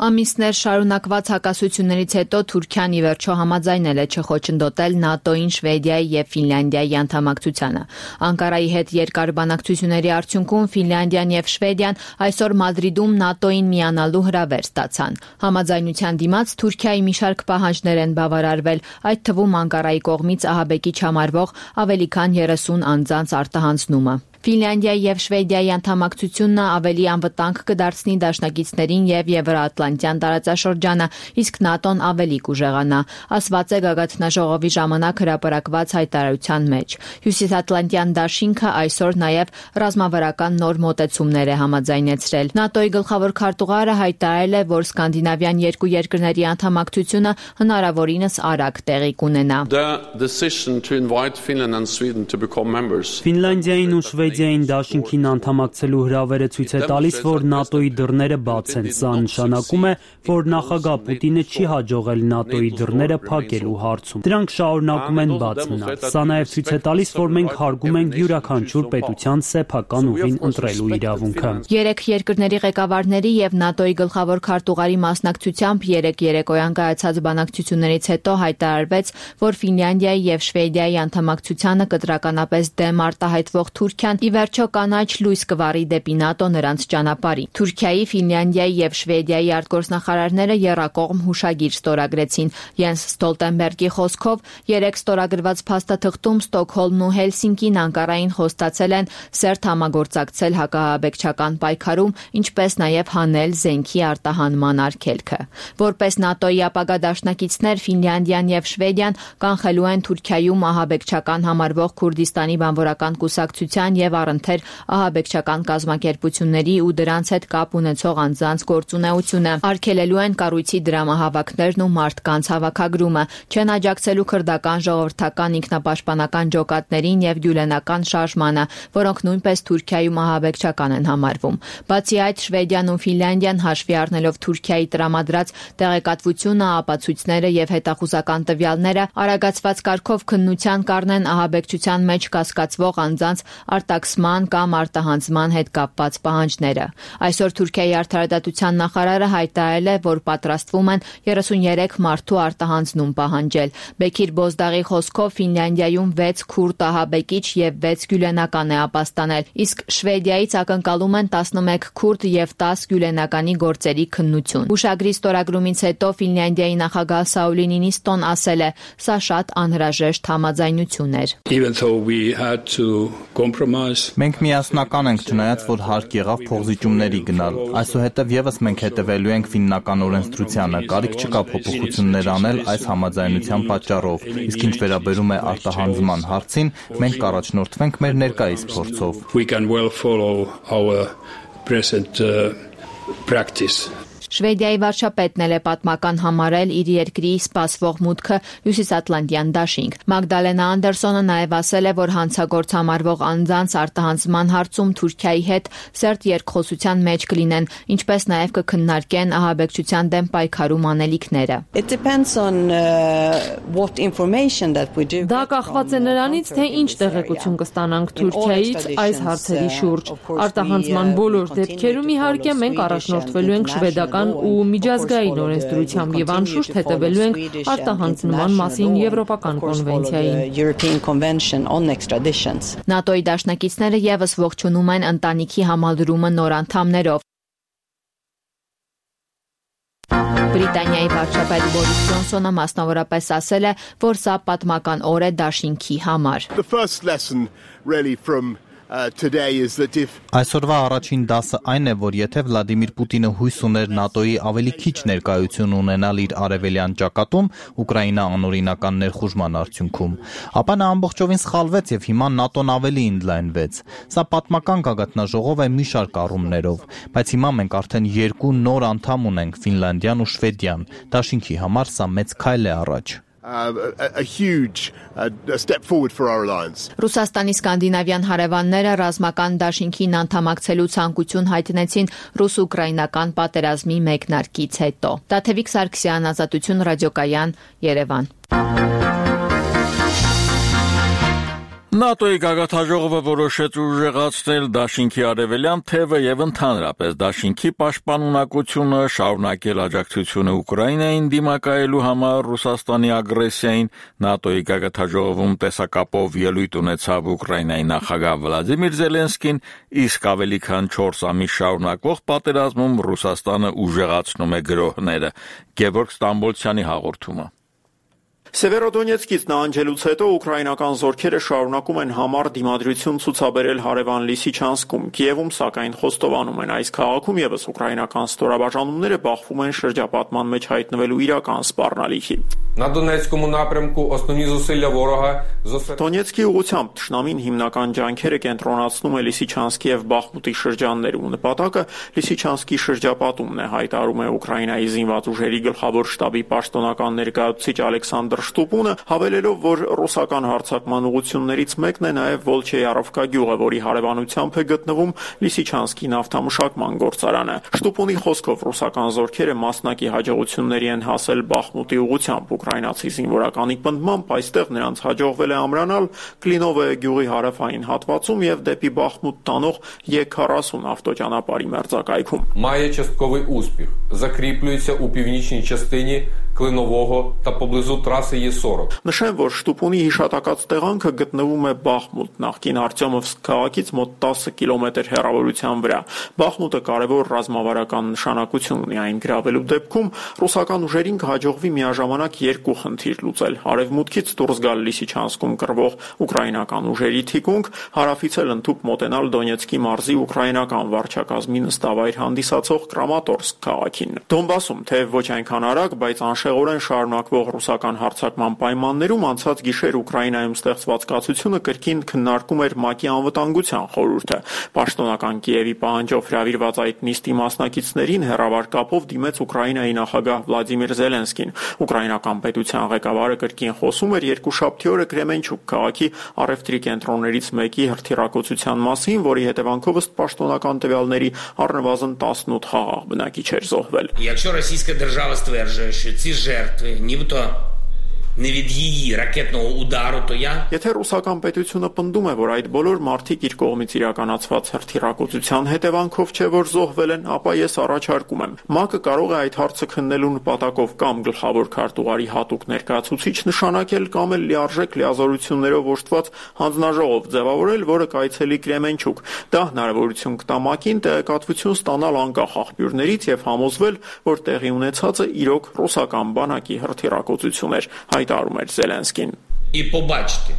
Ամիսներ շարունակված հակասություններից հետո Թուրքիան ի վերջո համաձայնել է չխոչընդոտել ՆԱՏՕ-ին, Շվեդիայի եւ Ֆինլանդիայի անդամակցությանը։ Անկարայի հետ երկար բանակցությունների արդյունքում Ֆինլանդիան եւ Շվեդիան այսօր Մադրիդում ՆԱՏՕ-ին միանալու հրավեր ստացան։ Համաձայնության դիմաց Թուրքիայի մի շարք պահանջներ են բավարարվել, այդ թվում Անկարայի կողմից ահաբեկիչ համարվող ավելի քան երեսուն անձանց արտահանձնումը։ Ֆինլանդիայի եւ Շվեդիայի անդամակցությունն ավելի անվտանգ կդարձնի դաշնակիցներին եւ Եվրոատլանտյան տարածաշրջանը, իսկ ՆԱՏՕ-ն ավելի կուժեղանա, ասված է գագաթնաժողովի ժամանակ հրապարակված հայտարարության մեջ։ Հյուսիսատլանտյան դաշինքը այսօր նաեւ ռազմավարական նոր մոտեցումներ է համաձայնեցրել։ ՆԱՏՕ-ի գլխավոր քարտուղարը հայտարարել է, որ սկանդինավյան երկու երկրների անդամակցությունը հնարավորինս արագ տեղի կունենա։ Ֆինլանդիային ու Շվեդիային դաշինքին անդամակցելու հրավերը ցույց է տալիս, որ ՆԱՏՕ-ի դռները բաց են։ Սա նշանակում է, որ նախագահ Պուտինը չի հաջողել ՆԱՏՕ-ի դռները փակելու հարցում։ Դրանք շարունակում են բաց մնալ։ Սա նաև ցույց է տալիս, որ մենք հարգում ենք յուրաքանչյուր պետության սեփական ուղին ընտրելու իրավունքը։ Երեք երկրների ղեկավարների եւ ՆԱՏՕ-ի գլխավոր քարտուղարի մասնակցությամբ երեք երեկոյան կայացած բանակցություններից հետո հայտարարվեց, որ Ֆինլանդիայի եւ Շվեդիայի անդամակցությանը կտրականապես դեմ արտահայտվող Թուրքիան ի վերջո կանաչ լույս կվառի դեպի ՆԱՏՕ նրանց ճանապարհի։ Թուրքիայի, Ֆինլանդիայի եւ Շվեդիայի արտգործնախարարները եռակողմ հուշագիր ստորագրեցին։ Յենս Ստոլտենբերգի խոսքով երեք ստորագրված փաստաթղթում Ստոկհոլմն ու Հելսինկին Անկարային խոստացել են սերտ համագործակցել հակահաբեկչական պայքարում, ինչպես նաեւ հանել զենքի արտահանման արգելքը։ Որպես ՆԱՏՕ-ի ապագա դաշնակիցներ Ֆինլանդիան եւ Շվեդիան կանխելու են Թուրքիայում ահաբեկչական համարվող Քուրդիստանի բանվորական կուսակցության եւ առընթեր ահաբեկչական կազմակերպությունների ու դրանց հետ կապ ունեցող անձանց գործունեությունը, արգելելու են կառույցի դրամահավաքներն ու մարդկանց հավաքագրումը, չեն աջակցելու քրդական ժողովրդական ինքնապաշտպանական ջոկատներին եւ գյուլենական շարժմանը, որոնք նույնպես Թուրքիայում ահաբեկչական են համարվում։ Բացի այդ, Շվեդիան ու Ֆինլանդիան հաշվի առնելով Թուրքիայի տրամադրած տեղեկատվությունը, ապացույցները եւ հետախուզական տվյալները, արագացված կարգով քննության կառնեն ահաբեկչության մեջ կասկածվող անձանց արտաքսման կամ արտահանձնման հետ կապված պահանջները։ Այսօր Թուրքիայի արդարադատության նախարարը հայտարարել է, որ պատրաստվում են երեսունյերեք մարդու արտահանձնում պահանջել։ Բեքիր Բոզդաղի խոսքով Ֆինլանդիայում վեց քուրդ ահաբեկիչ եւ վեց գյուլենական է ապաստանել, իսկ Շվեդիայից ակնկալում են տասնմեկ քուրդ եւ տասը գյուլենականի գործերի քննություն։ Հուշագրի ստորագրումից հետո Ֆինլանդիայի նախագահ Սաուլի Նինիստոն ասել է, սա շատ անհրաժեշտ համաձայնություն էր։ Մենք միասնական ենք, չնայած որ հարկ եղավ փոխզիջումների գնալ։ Այսուհետև եւս մենք հետևելու ենք ֆիննական օրենսդրությանը, կարիք չկա փոփոխություններ անել այս համաձայնության պատճառով։ Իսկ ինչ վերաբերում է արտահանձնման հարցին, մենք կառաջնորդվենք մեր ներկայիս փորձով։ We can well follow our present uh, practice. Շվեդիայի վարչապետն էլ է պատմական համարել իր երկրի սպասվող մուտքը հյուսիսատլանտյան դաշինք։ Մագդալենա Անդերսոնը նաև ասել է, որ հանցագործ համարվող անձանց արտահանձնման հարցում Թուրքիայի հետ սերտ երկխոսության մեջ կլինեն, ինչպես նաև կքննարկեն ահաբեկչության դեմ պայքարում անելիքները։ Դա կախված է նրանից, թե ինչ տեղեկություն կստանանք Թուրքիայից այս հարցերի շուրջ։ Արտահանձնման բոլոր դեպքերում իհարկե մենք առաջնորդվելու ենք շվեդական ու միջազգային օրենսդրությամբ եւ անշուշտ հետևելու ենք արտահանձնման մասին Եվրոպական կոնվենցիային։ ՆԱՏՕ-ի դաշնակիցները եւս ողջունում են ընտանիքի համալրումը նոր անդամներով։ Բրիտանիայի վարչապետ Բորիս Ջոնսոնը մասնավորապես ասել է, որ սա պատմական օր է դաշինքի համար։ Այսօրվա առաջին դասը այն է, որ եթե Վլադիմիր Պուտինը հույս ուներ ՆԱՏՕ-ի ավելի քիչ ներկայություն ունենալ իր արևելյան ճակատում Ուկրաինա անօրինական ներխուժման արդյունքում, ապա նա ամբողջովին սխալվեց եւ հիմա ՆԱՏՕ-ն ավելի ընդլայնվեց։ Սա պատմական գագաթնաժողով է մի շարք առումներով, բայց հիմա մենք արդեն երկու նոր անդամ ունենք՝ Ֆինլանդիան ու Շվեդիան։ Դաշինքի համար սա մեծ քայլ է առաջ։ Uh, a, a huge uh, a step forward for our alliance. Ռուսաստանի սկանդինավյան հարևանները ռազմական դաշինքին անդամակցելու ցանկություն հայտնեցին ռուս-ուկրաինական պատերազմի մեկնարկից հետո։ Տաթևիկ Սարգսյան, Ազատություն ռադիոկայան, Երևան։ ՆԱՏՕ-ի գագաթնաժողովը որոշեց ուժեղացնել դաշինքի արևելյան թևը եւ ընդհանրապես դաշինքի պաշտպանունակությունը, շարունակել աջակցությունը Ուկրաինային դիմակայելու համար Ռուսաստանի ագրեսիային։ ՆԱՏՕ-ի գագաթնաժողովում տեսակապով ելույթ ունեցավ Ուկրաինայի նախագահ Վլադիմիր Զելենսկին, իսկ ավելի քան չորս ամիս շարունակվող պատերազմում Ռուսաստանը ուժեղացնում է գրոհները։ Գևորգ Ստամբոլցյանի հաղորդումը։ Սևերոդոնեցկից նահանջելուց հետո ուկրաինական զորքերը շարունակում են համառ դիմադրություն ցուցաբերել հարևան Լիսիչանսկում, Կիևում սակայն խոստովանում են այս քաղաքում եւս ուկրաինական ստորաբաժանումները բախվում են շրջապատման մեջ հայտնվելու իրական սպառնալիքի։ Դոնեցկի ուղղությամբ թշնամին հիմնական ջանքերը կենտրոնացնում է Լիսիչանսկի եւ Բախմուտի շրջաններում։ Նպատակը Լիսիչանսկի շրջապատումն է, հայտարարում է Ուկրաինայի զինված ուժերի գլխավոր շտաբի պաշտոնական ներկայացուցիչ Ալեքսանդր Շտուպունը, հավելելով, որ ռուսական հարձակման ուղղություններից մեկն է նաև Վոլչեյարովկա գյուղը, որի հարևանությամբ է գտնվում Լիսիչանսկի նավթամշակման գործարանը։ Շտուպունի խոսքով ռուսական զորքերը մասնակի հաջողությունների են հասել Բախմուտի ուղղությամբ։ Ուկրաինացի զինվորականի պնդմամբ այստեղ նրանց հաջողվել է ամրանալ Կլինովե գյուղի հարավային հատվածում եւ դեպի Բախմուտ տանող Է քառասուն ավտոճանապարհի մերձակայքում։ Має частковий успіх. Закріплюється у північній частині Клинового та поблизу траси Е сорок. Նշեմ, որ Շտուպունի հիշատակած տեղանքը գտնվում է Բախմուտ, նախկին Արտյոմովսկ քաղաքից մոտ տասը կիլոմետր հեռավորության վրա։ Բախմուտը կարևոր ռազմավարական նշանակություն ունի, այն գրավելու դեպքում ռուսական ուժերին կհաջողվի միաժամանակ երկու խնդիր լուծել՝ արևմուտքից դուրս գալ Լիսիչանսկում կռվող ուկրաինական ուժերի թիկունք, հարավից էլ ընդհուպ մոտենալ Դոնեցկի մարզի ուկրաինական վարչակազմի նստավայր հանդիսացող Կրամատորսկ քաղաքին։ Դոնբասում թեև ոչ այնքան արագ, բայց անշեղորեն շարունակվող ռուսական հարձակման պայմաններում անցած գիշեր Ուկրաինայում ստեղծված կացությունը կրկին քննարկում էր ՄԱԿ-ի անվտանգության խորհուրդը։ Պաշտոնական Կիևի պահանջով հրավիրված այդ նիստի մասնակիցներին հեռավար կապով դիմեց Ուկրաինայի նախագահ Վլադիմիր Զելենսկին։ Ուկրաինական պետության ղեկավարը կրկին խոսում էր երկուշաբթի օրը Կրեմենչուկ քաղաքի առևտրի կենտրոններից մեկի հրթիռակոծության մասին, որի հետևանքով ըստ պաշտոնական տվյալների առնվազն տասնութ խաղաղ բնակիչ էր զոհվել։ Якщо Російська держава стверджує, що ці жертви нібито не від її ракетного удару, то я Եթե ռուսական պետությունը պնդում է, որ այդ բոլոր մարդիկ իր կողմից իրականացված հրթիռակոծության հետևանքով չէ, որ զոհվել են, ապա ես առաջարկում եմ ՄԱԿ-ը կարող է այդ հարցը քննելու նպատակով կամ գլխավոր քարտուղարի հատուկ ներկայացուցիչ նշանակել կամ էլ լիարժեք լիազորություններով օժտված հանձնաժողով ձևավորել, որը կայցելի Կրեմենչուկ։ Դա հնարավորություն կտա ՄԱԿ-ին տեղեկատվություն ստանալ անկախ աղբյուրներից եւ համոզվել, որ տեղի ունեցածը իրոք ռուսական բանակի հրթիռակոծություն էր, հայտարարում էր Զելենսկին։ І побачити,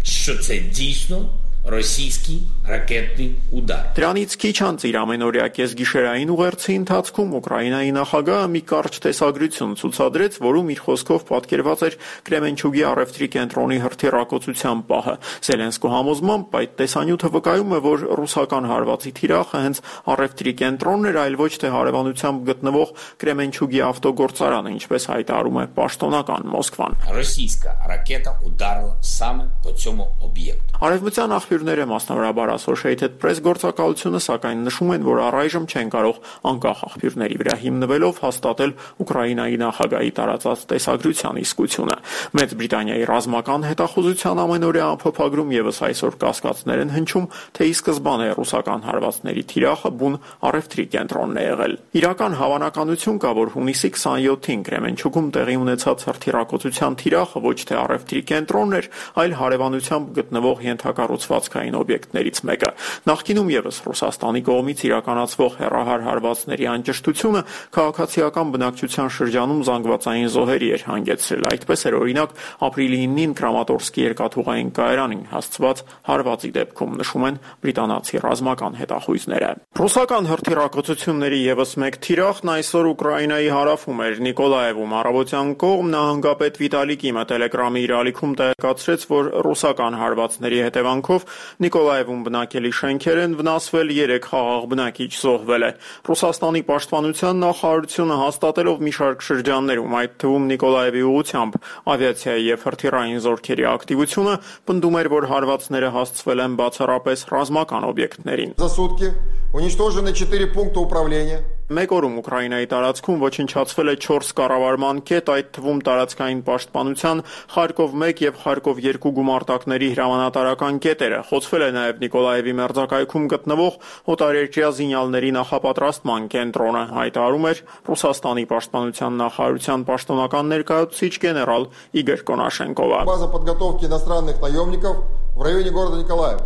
що це дійсно российский ракетный удар. Դրանից քիչ անց իր ամենօրյա կեսգիշերային ուղերձի ընթացքում Ուկրաինայի նախագահը մի կարճ տեսագրություն ցուցադրեց, որում իր խոսքով պատկերված էր Կրեմենչուգի առևտրի կենտրոնի հրթիռակոծության պահը։ Զելենսկու համոզմամբ այդ տեսանյութը վկայում է, որ ռուսական հարվածի թիրախը հենց առևտրի կենտրոնն էր, այլ ոչ թե հարևանությամբ գտնվող Կրեմենչուգի ավտոգործարանը, ինչպես հայտարարում է պաշտոնական Մոսկվան։ Российская ракета ударила саме по цьому об'єкту. Արևմտյան աղբյուրները, մասնավորաբար Associated Press գործակալությունը, սակայն նշում են, որ առայժմ չեն կարող անկախ աղբյուրների վրա հիմնվելով հաստատել Ուկրաինայի նախագահի տարածած տեսագրության իսկությունը։ Մեծ Բրիտանիայի ռազմական հետախուզության ամենօրյա ամփոփագրում եւս այսօր կասկածներ են հնչում, թե ի սկզբանե ռուսական հարվածների թիրախը բուն առևտրի կենտրոնն է եղել։ Իրական հավանականություն կա, որ հունիսի քսաներկուին Կրեմենչուգում տեղի ունեցած հրթիռակոծության թիրախը ոչ թե առևտրի կենտրոնն էր, այլ հարևանությամբ գտնվող ենթակառուցվածքային օբյեկտներից մեկը։ Նախկինում եւս Ռուսաստանի կողմից իրականացվող հեռահար հարվածների անճշտությունը քաղաքացիական բնակչության շրջանում զանգվածային զոհերի էր հանգեցրել։ Այդպես էր օրինակ ապրիլի իննին Կրամատորսկի երկաթուղային կայարանին հասցված հարվածի դեպքում, նշում են բրիտանացի ռազմական հետախույզները։ Ռուսական հրթիռակոծությունների եւս մեկ թիրախն այսօր Ուկրաինայի հարավում էր Նիկոլաևում։ Առավոտյան կողմ նահանգապետ Վիտալի Կիմը Telegram-ի իր ալիքում տեղեկացրեց, որ ռուսական հարվածների հետևանքով Նիկոլաևում բնակելի շենքեր են վնասվել, երեք խաղաղ բնակիչ զոհվել է։ Ռուսաստանի պաշտպանության նախարարությունը հաստատելով մի շարք շրջաններում, այդ թվում Նիկոլաևի ուղղությամբ ավիացիայի եւ հրթիռային զորքերի ակտիվությունը, պնդում էր, որ հարվածները հասցվել են բացառապես ռազմական օբյեկտներին։ За сутки уничтожены четыре пункта управления. Մեկ օրում Ուկրաինայի տարածքում ոչնչացվել է չորս կառավարման կետ, այդ թվում տարածքային պաշտպանության Խարկով մեկ եւ Խարկով երկու գումարտակների հրամանատարական կետերը։ Խոցվել է նաեւ Նիկոլաևի մերձակայքում գտնվող օտարերկրյա զինյալների նախապատրաստման կենտրոնը, հայտարարում էր Ռուսաստանի պաշտպանության նախարարության պաշտոնական ներկայացուցիչ գեներալ Իգոր Կոնաշենկովը։ База подготовки иностранных наемников в районе города Николаев.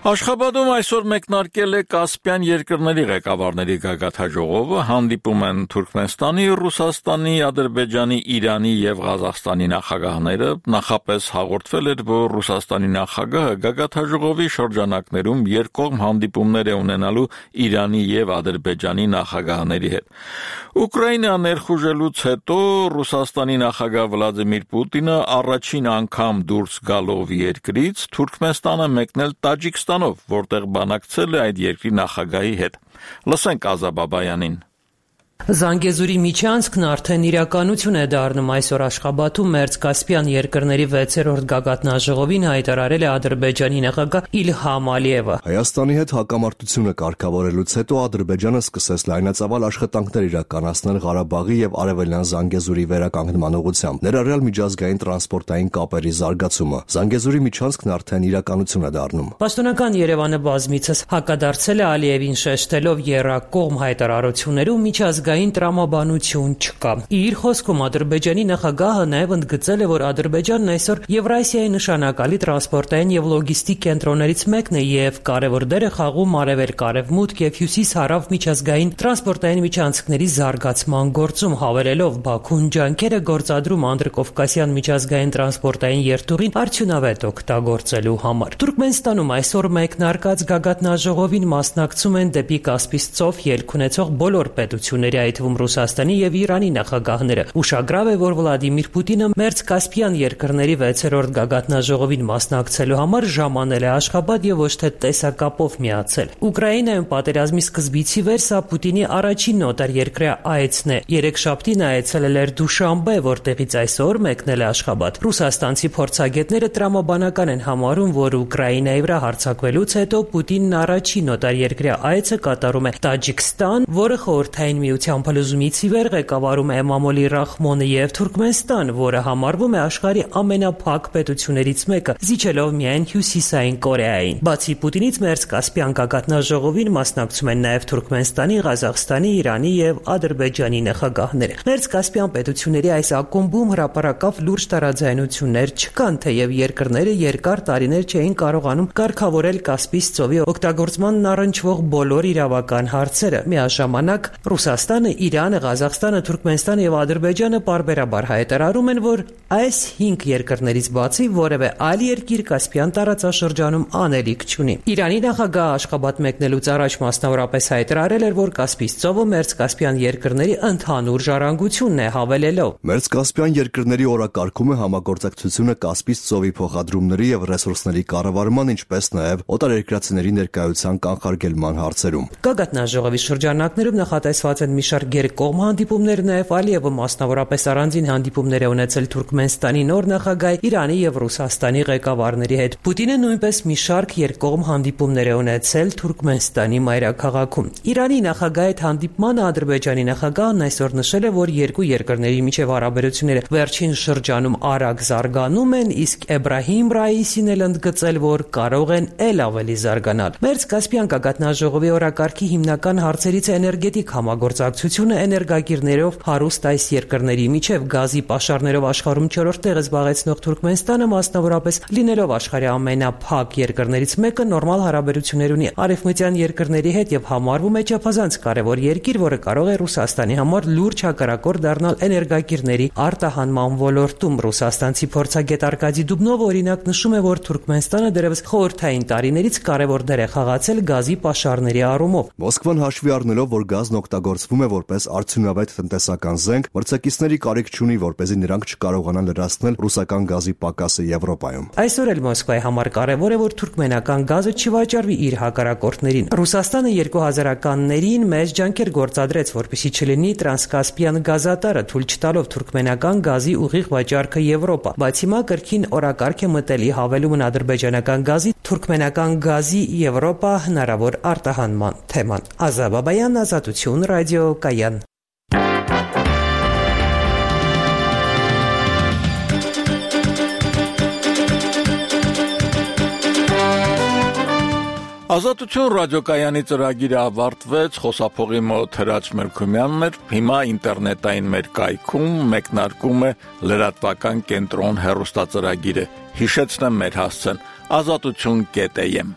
Աշխաբադում այսօր մեկնարկել է Կասպյան երկրների ղեկավարների գագաթնաժողովը, հանդիպում են Թուրքմենստանի, Ռուսաստանի, Ադրբեջանի, Իրանի եւ Ղազախստանի նախագահները։ Նախապես հաղորդվել էր, որ Ռուսաստանի նախագահը գագաթնաժողովի շրջանակներում երկկողմ հանդիպումներ է ունենալու Իրանի եւ Ադրբեջանի նախագահների հետ։ Ուկրաինա ներխուժելուց հետո Ռուսաստանի նախագահ Վլադիմիր Պուտինը առաջին անգամ դուրս գալով երկրից Թուրքմենստանը մեկնել Տաջիկստան, որտեղ բանակցել է այդ երկրի նախագահի հետ։ Լսենք Ազաբաբայանին։ Զանգեզուրի միջանցքն արդեն իրականություն է դառնում։ Այսօր Աշխաբադում Մերձկասպյան երկրների վեցերորդ գագաթնաժողովին հայտարարել է Ադրբեջանի նախագահ Իլհամ Ալիևը։ Հայաստանի հետ հակամարտությունը կարգավորելուց հետո Ադրբեջանը սկսեց լայնածավալ աշխատանքներ իրականացնել Ղարաբաղի եւ Արևելյան Զանգեզուրի վերականգնման ուղղությամբ, ներառյալ միջազգային տրանսպորտային կապերի զարգացումը։ Զանգեզուրի միջանցքն արդեն իրականություն է դառնում։ Պաշտոնական Երևանը բազմիցս հակադարձել է Ալիևին, շեշտելով եռակողմ հայտարարություններում միջազգային տրամաբանություն չկա։ Իր խոսքում Ադրբեջանի նախագահը նաև ընդգծել է, որ Ադրբեջանն այսօր Եվրասիայի նշանակալի տրանսպորտային եւ լոգիստիկ կենտրոններից մեկն է եւ կարևոր դեր է խաղում արևելք-արևմուտք եւ հյուսիս-հարավ միջազգային տրանսպորտային միջանցքների զարգացման գործում, հավելելով Բաքուն ջանքեր է գործադրում Անդրկովկասյան միջազգային տրանսպորտային երթուղին արդյունավետ օգտագործելու համար։ Թուրքմենստանում այսօր մեկնարկած գագաթնաժողովին մասնակցում են դեպի Կասպից ծով ելք ունեցող բոլոր պետությունների, այդ թվում Ռուսաստանի եւ Իրանի նախագահները։ Ուշագրավ է, որ Վլադիմիր Պուտինը Մերձկասպյան երկրների վեցերորդ գագաթնաժողովին մասնակցելու համար ժամանել է Աշխաբադ եւ ոչ թե տեսակապով միացել։ Ուկրաինայում պատերազմի սկզբից ի վեր սա Պուտինի առաջին օտարերկրյա այցն է։ Երեքշաբթին այցելել էր Դուշանբե, որտեղից այսօր մեկնել է Աշխաբադ։ Ռուսաստանցի փորձագետները տրամաբանական են համարում, որ Ուկրաինայի վրա հարձակվելուց հետո Պուտինն առաջին օտարերկրյա այցը կատարում է Տաջիկստան, որը Խորհրդային Միության փլուզումից ի վեր ղեկավարում է Էմամոլի Ռախմոնը, եւ Թուրքմենստան, որը համարվում է աշխարհի ամենափակ պետություններից մեկը, զիջելով միայն Հյուսիսային Կորեային։ Բացի Պուտինից Մերձկասպյան գագաթնաժողովին մասնակցում են նաեւ Թուրքմենստանի, Ղազախստանի, Իրանի եւ Ադրբեջանի նախագահները։ Մերձկասպյան պետությունների այս ակումբում հրապարակավ լուրջ տարաձայնություններ չկան, թեև երկրները երկար տարիներ չէին կարողանում կարգավորել Կասպից ծովի օգտագործմանն առնչվող բոլոր իրավական հարցերը։ Միաժամանակ Ռուսաստանը Ռուսաստանը, Իրանը, Ղազախստանը, Թուրքմենստանը եւ Ադրբեջանը պարբերաբար հայտարարում են, որ այս հինգ երկրներից բացի որևէ այլ երկիր Կասպյան տարածաշրջանում անելիք չունի։ Իրանի նախագահ Աշխաբադ մեկնելուց առաջ մասնավորապես հայտարարել էր, որ Կասպից ծովը Մերձկասպյան երկրների ընդհանուր ժառանգությունն է, հավելելով. Մերձկասպյան երկրների օրակարգում է համագործակցությունը Կասպից ծովի փոխադրումների եւ ռեսուրսների կառավարման, ինչպես նաեւ օտարերկրացիների ներկայության կանխարգելման հարցերում։ Գագաթնաժողովի շրջանակներում նախատեսված են մի շարք երկկողմ հանդիպումներ, նաև Ալիևը մասնավորապես առանձին հանդիպումներ է ունեցել Թուրքմենստանի նոր նախագահ, Իրանի եւ Ռուսաստանի ղեկավարների հետ։ Պուտինը նույնպես մի շարք երկկողմ հանդիպումներ է ունեցել Թուրքմենստանի մայրաքաղաքում։ Իրանի նախագահի հետ հանդիպմանը Ադրբեջանի նախագահն այսօր նշել է, որ երկու երկրների միջև հարաբերությունները վերջին շրջանում արագ զարգանում են, իսկ Էբրահիմ Ռայիսին էլ ընդգծել, որ կարող են ել ավելի զարգանալ։ Մերձկասպյան գագաթնաժողովի օրակարգի հիմնական հարցերից է էներգետիկ համագործակցությունը, էներգակիրներով հարուստ այս երկրների միջև գազի պաշարներով աշխարհում չորրորդ տեղը զբաղեցնող Թուրքմենստանը մասնավորապես լինելով աշխարհի ամենափակ երկրներից մեկը նորմալ հարաբերություններ ունի արևմտյան երկրների հետ եւ համարվում է չափազանց կարևոր երկիր, որը կարող է Ռուսաստանի համար լուրջ հակառակորդ դառնալ էներգակիրների արտահանման ոլորտում։ Ռուսաստանցի փորձագետ Արկադի Դուբնովը օրինակ նշում է, որ Թուրքմենստանը դեռևս խորհրդային տարիներից կարևոր դեր է խաղացել գազի պաշարների առումով։ Մոսկվան հաշվի առնելով, որ գազն օգտագործվում է որպես արդյունավետ տնտեսական զենք, մրցակիցների կարիք չունի, որպեսզի նրանք չկարողանան լրացնել ռուսական գազի պակասը Եվրոպայում։ Այսօր էլ Մոսկվայի համար կարևոր է, որ թուրքմենական գազը չվաճառվի իր հակառակորդներին։ Ռուսաստանը երկու հազարականներին մեծ ջանքեր գործադրեց, որպեսզի չլինի տրանսկասպյան գազատարը, թույլ չտալով թուրքմենական գազի ուղիղ վաճառքը Եվրոպա։ Բայց հիմա կրկին օրակարգ է մտել հավելումն ադրբեջանական գազի, թուրքմենական գազի Եվրոպա հնարավոր արտահանման թեման։ Ազա Բաբայան, Ազատություն, ռադիո Կայան։ Ազատություն ռադիոկայանի ծրագիրը ավարտվեց, խոսափողի մոտ Հրաչ Մելքումյանն էր, հիմա ինտերնետային մեր կայքում մեկնարկում է լրատվական կենտրոն հեռուստածրագիրը, հիշեցնեմ մեր հասցեն ազատություն կետ էյ էմ